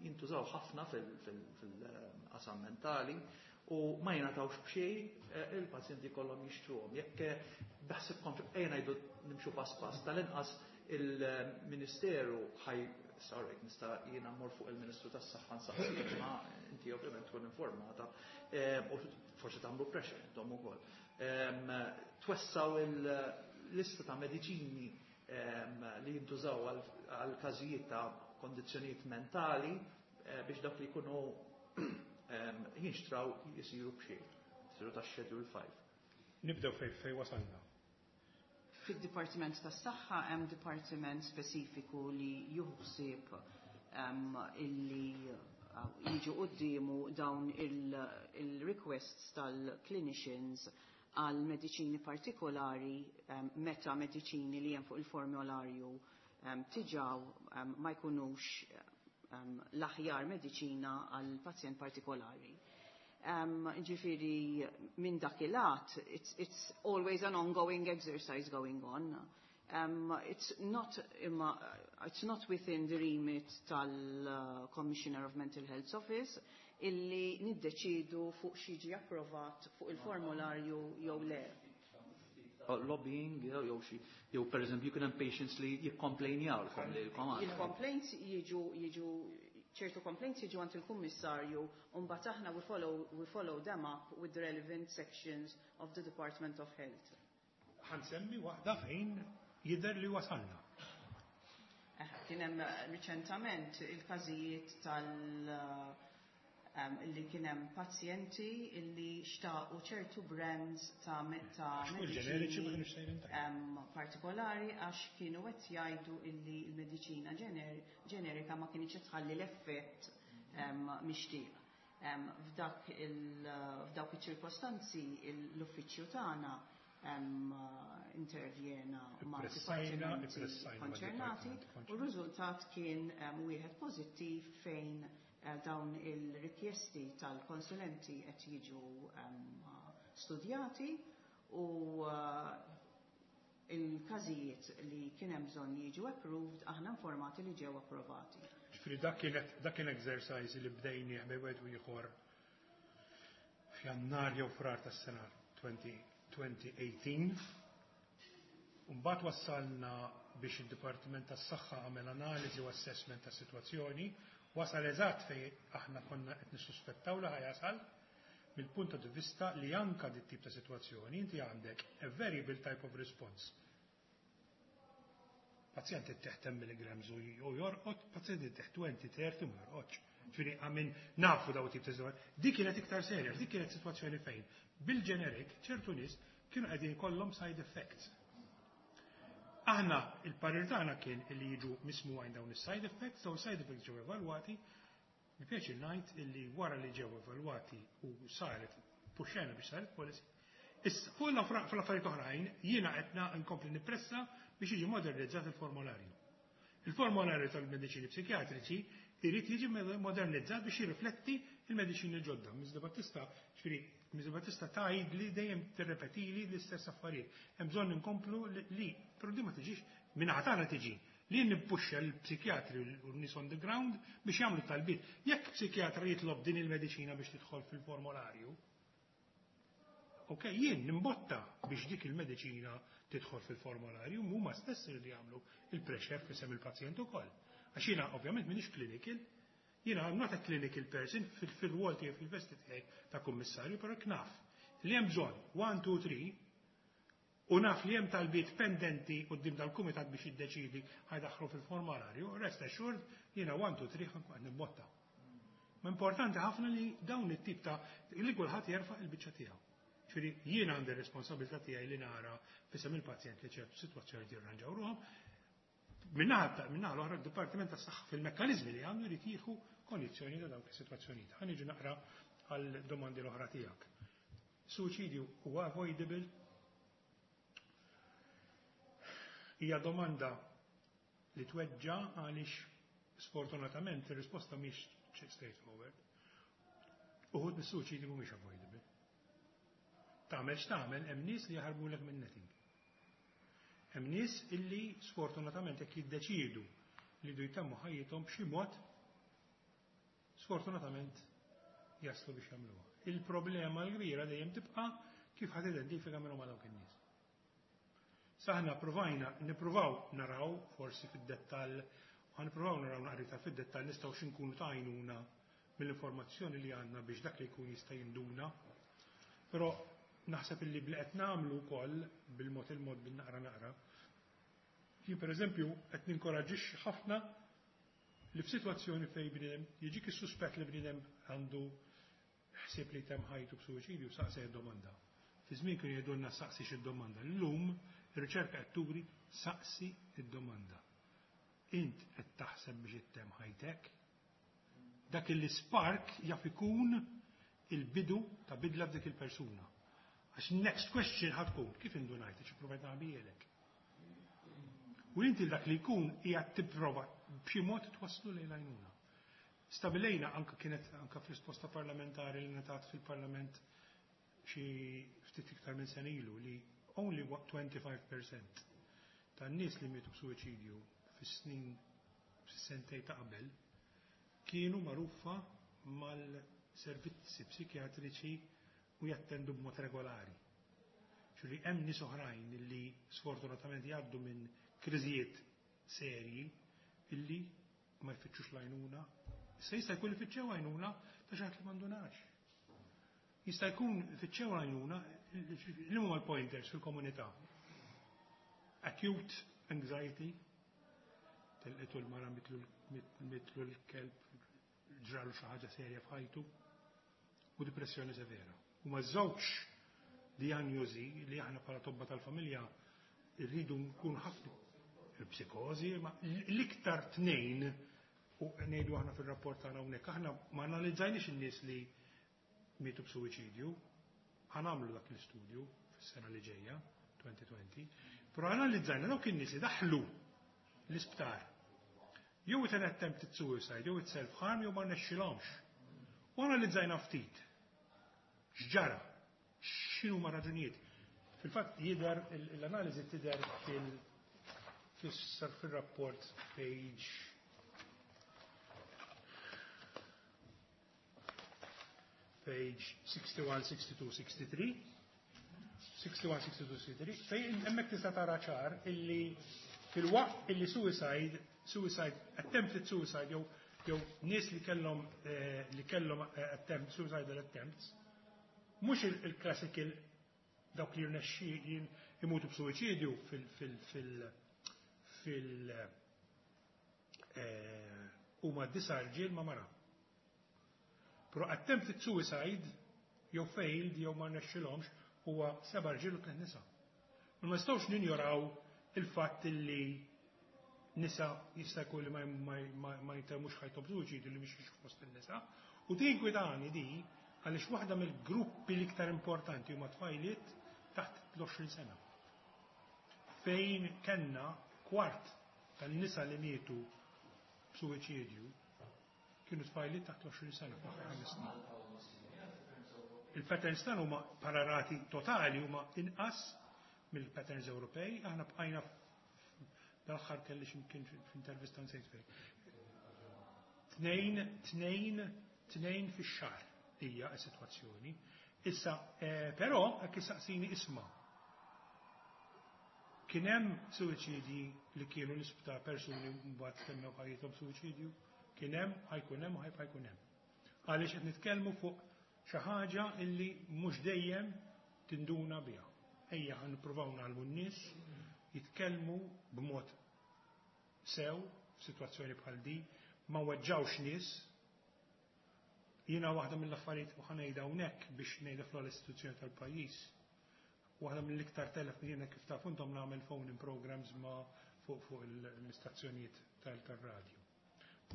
jintużaw ħafna fil-qasam mentali u ma jingħatawx b'xejn, il-pazjenti kollhom jixtruhom. Jekk beħsibkom ejja ngħidu nimxu pass pass, tal-inqas il-Ministeru ħaj, sorry, nista' jiena mmur fuq il-Ministru tas-Saħħa nsaqsi, ma inti ovvjament tkun informata u forsi tagħmlu pressure intom ukoll. Twessaw il-lista ta' mediċini li jintużaw għal każijiet ta' kondizzjonijiet mentali biex dak li jkunu jinxtraw jisiru b'xejn, jisiru ta' Schedule 5. Nibdew fej wasalna. Fid-Dipartiment tas-Saħħa hemm dipartiment speċifiku li juħsib illi jiġu quddiemu dawn il-requests tal-clinicians għal mediċini partikolari meta mediċini li hemm fuq il-formularju tiġaw ma jkunux l-aħjar mediċina għal pazjent partikolari. Ġifieri, minn dak il-lat, it's always an ongoing exercise going on. It's not imma, it's not within the remit tal-Commissioner of Mental Health Office illi niddeċidu fuq x'jiġi approvat fuq il-formularju jew le. Lobbying, jew xi, jew per eżempju kien hemm patients li jikkomplejnjawlkom li l-komand. Il-complaints jiġu, ċertu complaints jiġu għand il-kummissarju u mbagħad aħna we follow them up with the relevant sections of the Department of Health. Ħansemmi waħda fejn Jidher li wasalna. Kien hemm riċentament il-każijiet tal- li kien hemm pazjenti illi xtaqu ċertu brands ta' ġeneriċi ma kienux sejrin partikolari għax kienu qed jgħidu illi l-mediċina ġenerika ma kienx tħalli l-effett mixtieq. F'dawk iċ-ċirkostanzi l-uffiċċju tagħna intervjena ma' dipartimenti konċernati u r-riżultat kien wieħed pożittiv fejn dawn il-rikjesti tal-konsulenti qed jiġu studjati u il-każijiet li kien hemm bżonn jiġu approved aħna informati li ġew approvati. Ġifieri dak kien exercise li bdejnieh bejn wieħed u ieħor f'Jannar jew Frar tas-sena 2018. Mbagħad wassalna biex id-Dipartiment tas-Saħħa għamel analiżi u assessment tas-sitwazzjoni, wasal eżatt fejn aħna konna qed nissuspettaw li ħa jasal mill-punt di vista li anka dit tip ta' sitwazzjoni inti għandek a variable type of response. Pazjent ittih 10 mg u jorqod, pazjent ittih 20, 30 u ma jorqodx. Ġifieri għamin nafu daw tip ta' sitwazzjoni. Dik kienet iktar serja, dik kienet sitwazzjoni fejn bil-generic ċertu nies kienu qegħdin kollhom side effects. Aħna il-parir tagħna kien li jiġu mismugħin dawn is-side effects, dawn side effects ġew evalwati. Mi pjaċir ngħid illi wara li ġew evalwati u saret puxxena biex saret policy. Issa, fuq l-affarijiet oħrajn, jiena qed nkompli nippressa biex jiġi modernizzat il-formularju. Il-formularju tal-mediċini psikjatriċi irid jiġi modernizzat biex jirrifletti il-mediċini ġodda. Ms. De Battista, ġifieri, Ms. De Battista tgħid li dejjem tirrepetili l-istess affarijiet. Hemm bżonn inkomplu li, però di ma tiġix minn tagħna tiġi li nippuxxa l-psikjatri u n-nies on the ground biex jagħmlu talbiet. Jekk psikjatra jitlob din il-mediċina biex tidħol fil-formularju, ok, jien nimbotta biex dik il-mediċina tidħol fil-formularju, huma stess li jagħmlu il-pressure f'isem il-pazjent ukoll. Għax jiena ovvjament m'iniex clinical, jiena I'm not a clinical person fil-rwol tiegħi fil-vesti tiegħi ta' kummissarju, però naf li hemm bżonn 1, 2, 3 u naf li hemm talbiet pendenti quddiem dal-kumitat biex jiddeċidi ħa jdaħħlu fil-formularju, rest assured jiena 1, 2, 3 ħa nkun nimbotta. Ma importanti ħafna li dawn it-tip ta' li kulħadd jerfa' il-biċċa tiegħu. Ġifieri jiena għandi responsabilità tiegħi li nara f'isem il-pazjent li ċertu sitwazzjoni jirranġaw ruhom. Min-naħa l-oħra d-Dipartiment tas-Saħħa fil-mekkaniżmi li għandu jrid jieħu konjizzjoni ta' dawk is-sitwazzjonijiet. Ħa niġu naqra għal domandi l-oħra tiegħek. Suċidju huwa avoidable? Hija domanda li tweġġa għaliex sfortunatament ir-risposta mhix straightforward. Uħud mis-suċidju mhumiex avoidable. Tagħmel x'tagħmel hemm nies li jaħarbulek minn netting. Hemm nies illi sfortunatament jekk jiddeċiedu li jdu jtemmu ħajjithom b'xi mod sfortunatament jaslu biex jagħmluha. Il-problema l-kbira dejjem tibqa' kif ħadd identifika minn huma dawk in-nies. Saħna provajna nippruvaw naraw forsi fid-dettall, u nippruvaw naraw naqrita fid-dettall nistgħu x'inkunu ta' għajnuna mill-informazzjoni li għandna biex dak li jkun jista' jinduna. Però naħseb illi bli qed nagħmlu wkoll bil-mod il-mod bin-naqra naqra. Jien pereżempju qed ninkoraġġixxi ħafna li f'sitwazzjoni fejn bniedem jiġik is-suspett li bniedem għandu ħsieb li jtemm ħajtu b'suwiċidju saqsi domanda. Fi żmien kienu jgħidulna saqsi xi domanda. Llum ir-riċerka qed turi saqsi id-domanda. Int qed taħseb biex ittemm ħajtek? Dak il-spark jaf ikun il-bidu ta' bidla f'dik il-persuna. Għax next question ħa tkun, kif indunajt, xi provajt naħbielek. U inti dak li jkun hija tipprova b'xi mod twasslu lejn għajnuna. Stabilejna anka kienet anka fl-risposta parlamentari li ngħatat fil-Parlament xi ftit iktar minn sena ilu li only 25% tan-nies li mietu b'suwiċidju fis-snin fis-sentej ta' qabel kienu magħrufa mal-servizzi psikjatriċi u jattendu b'mod regolari. Ġifieri hemm nies oħrajn li sfortunatament jgħaddu minn kriżijiet serji illi ma jfittxux l-għajnuna. Issa jista' jkun ifittxew għajnuna ta' xi ħadd li m'għandunax. Jista' jkun fittxew għajnuna li huma l-pointers fil-komunità. Acute anxiety, telqitu l-mara, mietlu l-kelb, ġralu xi ħaġa serja f'ħajtu, u depressjoni severa. Huma żewġ dijanjosi li aħna bħala tobba tal-familja rridu nkun ħafna il-psikożi, ma l-iktar tnejn, u ngħidu aħna fir-rapport tagħna hawnhekk, aħna ma analizzajniex in-nies li mietu b'suwiċidju, ħa nagħmlu dak l-istudju fis-sena li ġejja, 2020, però analizzajna dawk in-nies li daħlu l-isptar jew with an attempted suicide, jew with self-harm, jew ma rnexxilhomx. U analizzajna ftit x'ġara, x'inhuma raġunijiet. Fil-fatt jidher l-analiżi tidher fil-rapport page 61, 62, 63. 61, 62, 63, fejn hemmhekk tista' tara ċar illi fil-waqt illi suicide, attempted suicide, jew nies li kellhom attempt, suicidal attempts, mhux il-classical dawk li jirnexxi imutu b'suwiċidju fil fil fil fil huma 9 rġiel ma' mara. Però attempted suicide jew failed jew ma rnexxilhomx huwa 7 rġiel u 3 nisa. Ma nistgħux ninjoraw il-fatt li nisa jista' jkun li ma jtemmux ħajthom suwiċidju li mhix fost in-nisa. U din kwitani di għaliex waħda mill-gruppi l-iktar importanti huma tfajliet taħt l-20 sena. Fejn kellna kwart tan-nisa li mietu b'suwiċidju kienu tfajliet taħt l-20 sena fl-aħħar 5 snin. Il-patterns tagħna huma pararati totali huma inqas mill-patterns Ewropej, aħna bqajna dal-aħħar kelli x'imkien f'intervista, nsejt fejn. 2, 2, 2 fix-xahar hija s-sitwazzjoni. Issa, però, hekk issaqsini, isma'. Kien hemm suwiċidji li kienu l-isptar, persuni mbagħad temmew ħajjithom suwiċidju? Kien hemm, ħa jkun hemm u ħajbqa' jkun hemm. Għaliex qed nitkellmu fuq xi ħaġa illi mhux dejjem tinduna biha. Ejja ħa nippruvaw ngħallmu n-nies jitkellmu b'mod sew f'sitwazzjoni bħal di, ma weġġawx nies. Jiena waħda mill-affarijiet, u ħa ngħidha hawnhekk biex ngħidha fl-istituzzjoni tal-pajjiż. Waħda mill-iktar telef, jiena kif taf intom nagħmel phone in programs ma fuq l-istazzjonijiet tal-radju.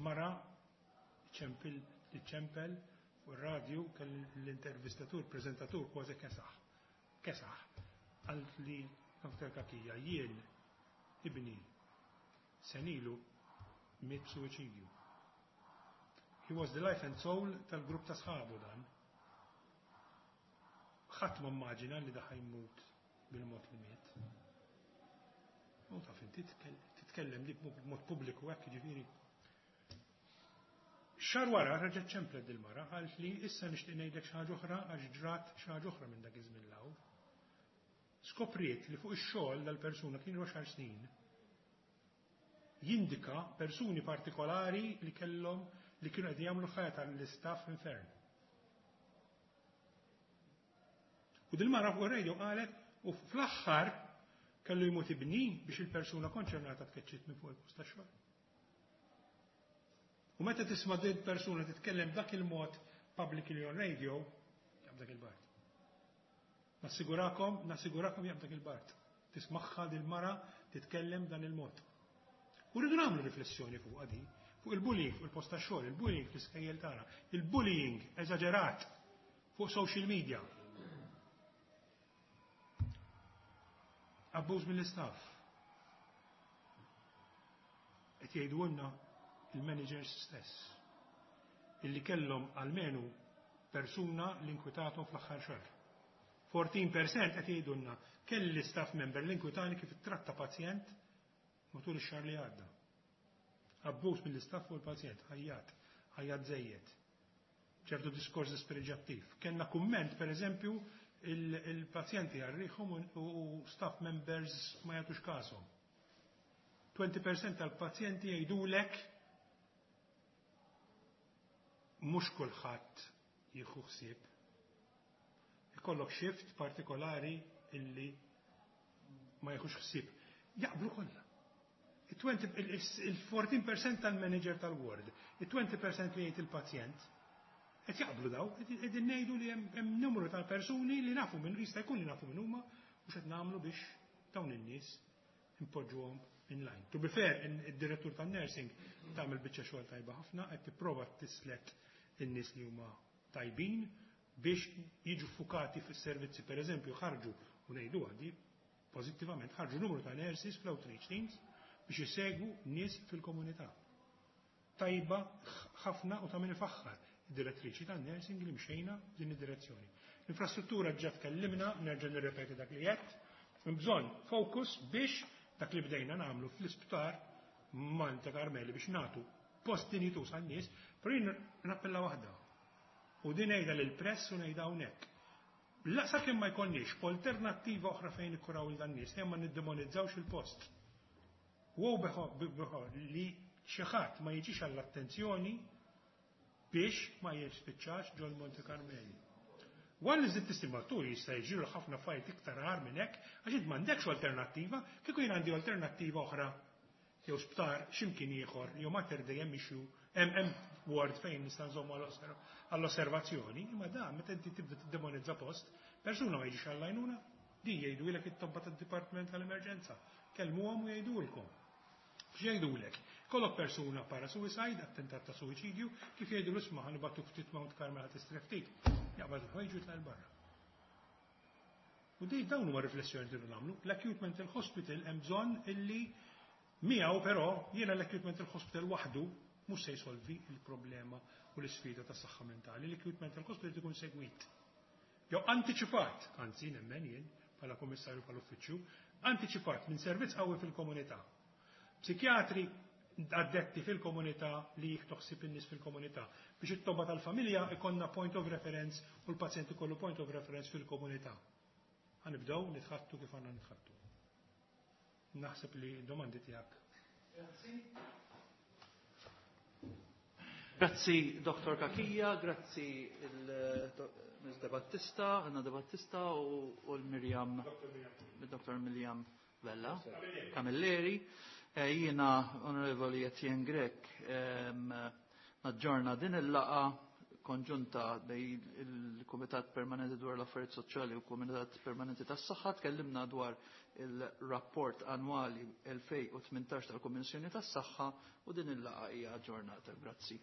Mara ċempel ċempel fuq ir-radju, kell l-intervistatur, prezentatur kważi kesaħ. Kesaħ. Għalt li Dr. Cachia, jien ibni sena ilu miet suwiċidju. He was the life and soul tal-grupp ta' sħabu dan. Ħadd ma immaġina li dan ħa jmut bil-mod li miet. U taf inti titkellem li b'mod pubbliku hekk, ġifieri. Xahar wara reġgħet ċemplet dil-mara, għalt li issa nixtieq ngħidlek xi ħaġa oħra għax ġrat xi ħaġa oħra minn dak iż-żmien 'l hawn. Skopriet li fuq ix-xogħol dal-persuna kien 10 snin jindika persuni partikolari li kellhom li kienu qed jagħmlu ħajja tal-istaff infern. U dil-mara fuq ir-radio qalet u fl-aħħar kellu jmut ibni biex il-persuna konċernata tkeċċiet minn fuq il-post tax-xogħol. U meta tisma' din persuna titkellem dak il-mod publicly on radio, jaqbdak il-bard. Nassigurakom, nassigurakom jaqbdak il-bard. Tismagħha dil-mara titkellem dan il-mod. U rridu nagħmlu riflessjoni fuq għadi, fuq il-bullying fuq il-post tax-xogħol, il-bullying fl-iskejjel tagħna, il-bullying eżaġerat fuq social media. Abbuż mill-istaff. Qed jgħidulna il-managers stess illi kellhom almenu persuna li inkwitathom fl-aħħar xahar. 14% qed jgħidulna kelli staff member li inkwitani kif tratta pazjent matul ix-xahar li għadda. Abbuż mill-istaff u l-pazjent, ħajjat, ħajjat żejjed. Ċertu diskors dispreġjattiv. Kellna kumment, per eżempju, il-pazjenti għarriħom u staff members ma jagħtux kasom. 20% tal-pazjenti jgħidulek mhux kulħadd jieħu ħsieb. Ikollok shift partikolari illi ma jieħux ħsieb. Jaqblu kollha. Il-14% tal-manager tal-ward, il-20% li jgħid il-pazjent, qed jaqblu daw, qegħdin ngħidu li hemm numru tal-persuni li nafu minn jista' jkun li nafu minn huma u x'qed nagħmlu biex dawn in-nies impoġġuhom in line. To be fair, id-direttur tan-nursing tagħmel biċċa xogħol tajba ħafna, qed tipprova tislet in-nies li huma tajbin biex jiġu fukati fis-servizzi, per eżempju, ħarġu u ngħidu għadi pożittivament ħarġu numru ta' nurses fl-outreach teams biex isegwu nies fil-komunità. Tajba ħafna u ta' min ifaħħar id-direttriċi tan-nursing li mxejna din id-direzzjoni. L-infrastruttura ġa tkellimna, nerġa' nirrepeti dak li qed, bżonn focus biex dak li bdejna nagħmlu fl-isptar Monte Carmeli biex nagħtu post dinjitus għan-nies, però jien nappella waħda. U din ngħidha lill-press u ngħidha hawnhekk. La sakemm ma jkollniex alternattiva oħra fejn ikkuraw il dan nies, ma niddemonizzawx il-post. Wow beħo li xi ħadd ma jiġix għall-attenzjoni biex ma jispiċċax ġol Monte Carmeli. Għal li żidt istimaturi jista' jiġru ħafna affarijiet iktar agħar minn hekk, għax int m'għandekx alternattiva, kieku jien għandi alternattiva oħra jew sptar x'imkien ieħor jew Mater Dei hemm issue hemm ward fejn nista' nżommu għall-osservazzjoni, imma da meta inti tibda tiddemonizza post, persuna ma jiġix għall-għajnuna, di jgħidulek it-tobba tad-Dipartiment tal-Emerġenza. Kellmuhom u jgħidulkom. X'jgħidulek? Kollok persuna para suicide, attentat ta' suicidju, kif jgħidu l-isma' ħa nibagħtuk ftit Mount Carmel ħa tistrieħ ftit. Jaqbad il-ħwejġu jitlaq 'l barra. U di dawn huma riflessjoni li nagħmlu. L-acute mental hospital hemm bżonn illi miegħu però jiena l-acute mental hospital waħdu mhux se jsolvi il-problema u l-isfida tas saħħa mentali. L-acute mental hospital ikun segwit. Jew antiċipat, anzi nemmen jien bħala kummissarju bħala uffiċċju, antiċipat minn servizz qawwi fil-komunità. Psikjatri addetti fil-komunità li jieħdu ħsieb in-nies fil-komunità. Biex it-tobba tal-familja ikonna point of reference u l-pazjent ikollu point of reference fil-komunità. Ħa nibdew nitħattu kif għandna nitħattu. Naħseb li domandi tiegħek. Grazzi. Grazzi Dr. Cachia, grazzi il-Ms. De Battista, Anna De Battista u l-Mirjam, Dr. Mirjam Vella, Camilleri. Jiena Onorevoli Etienne Grech naġġorna din il-laqgħa konġunta bejn il-Kumitat Permanenti dwar l-Affarijiet Soċjali u Kumitat Permanenti tas-Saħħa. Tkellimna dwar il-rapport annwali 2018 tal-Kummissjoni tas-Saħħa u din il-laqgħa hija aġġornata. Grazzi.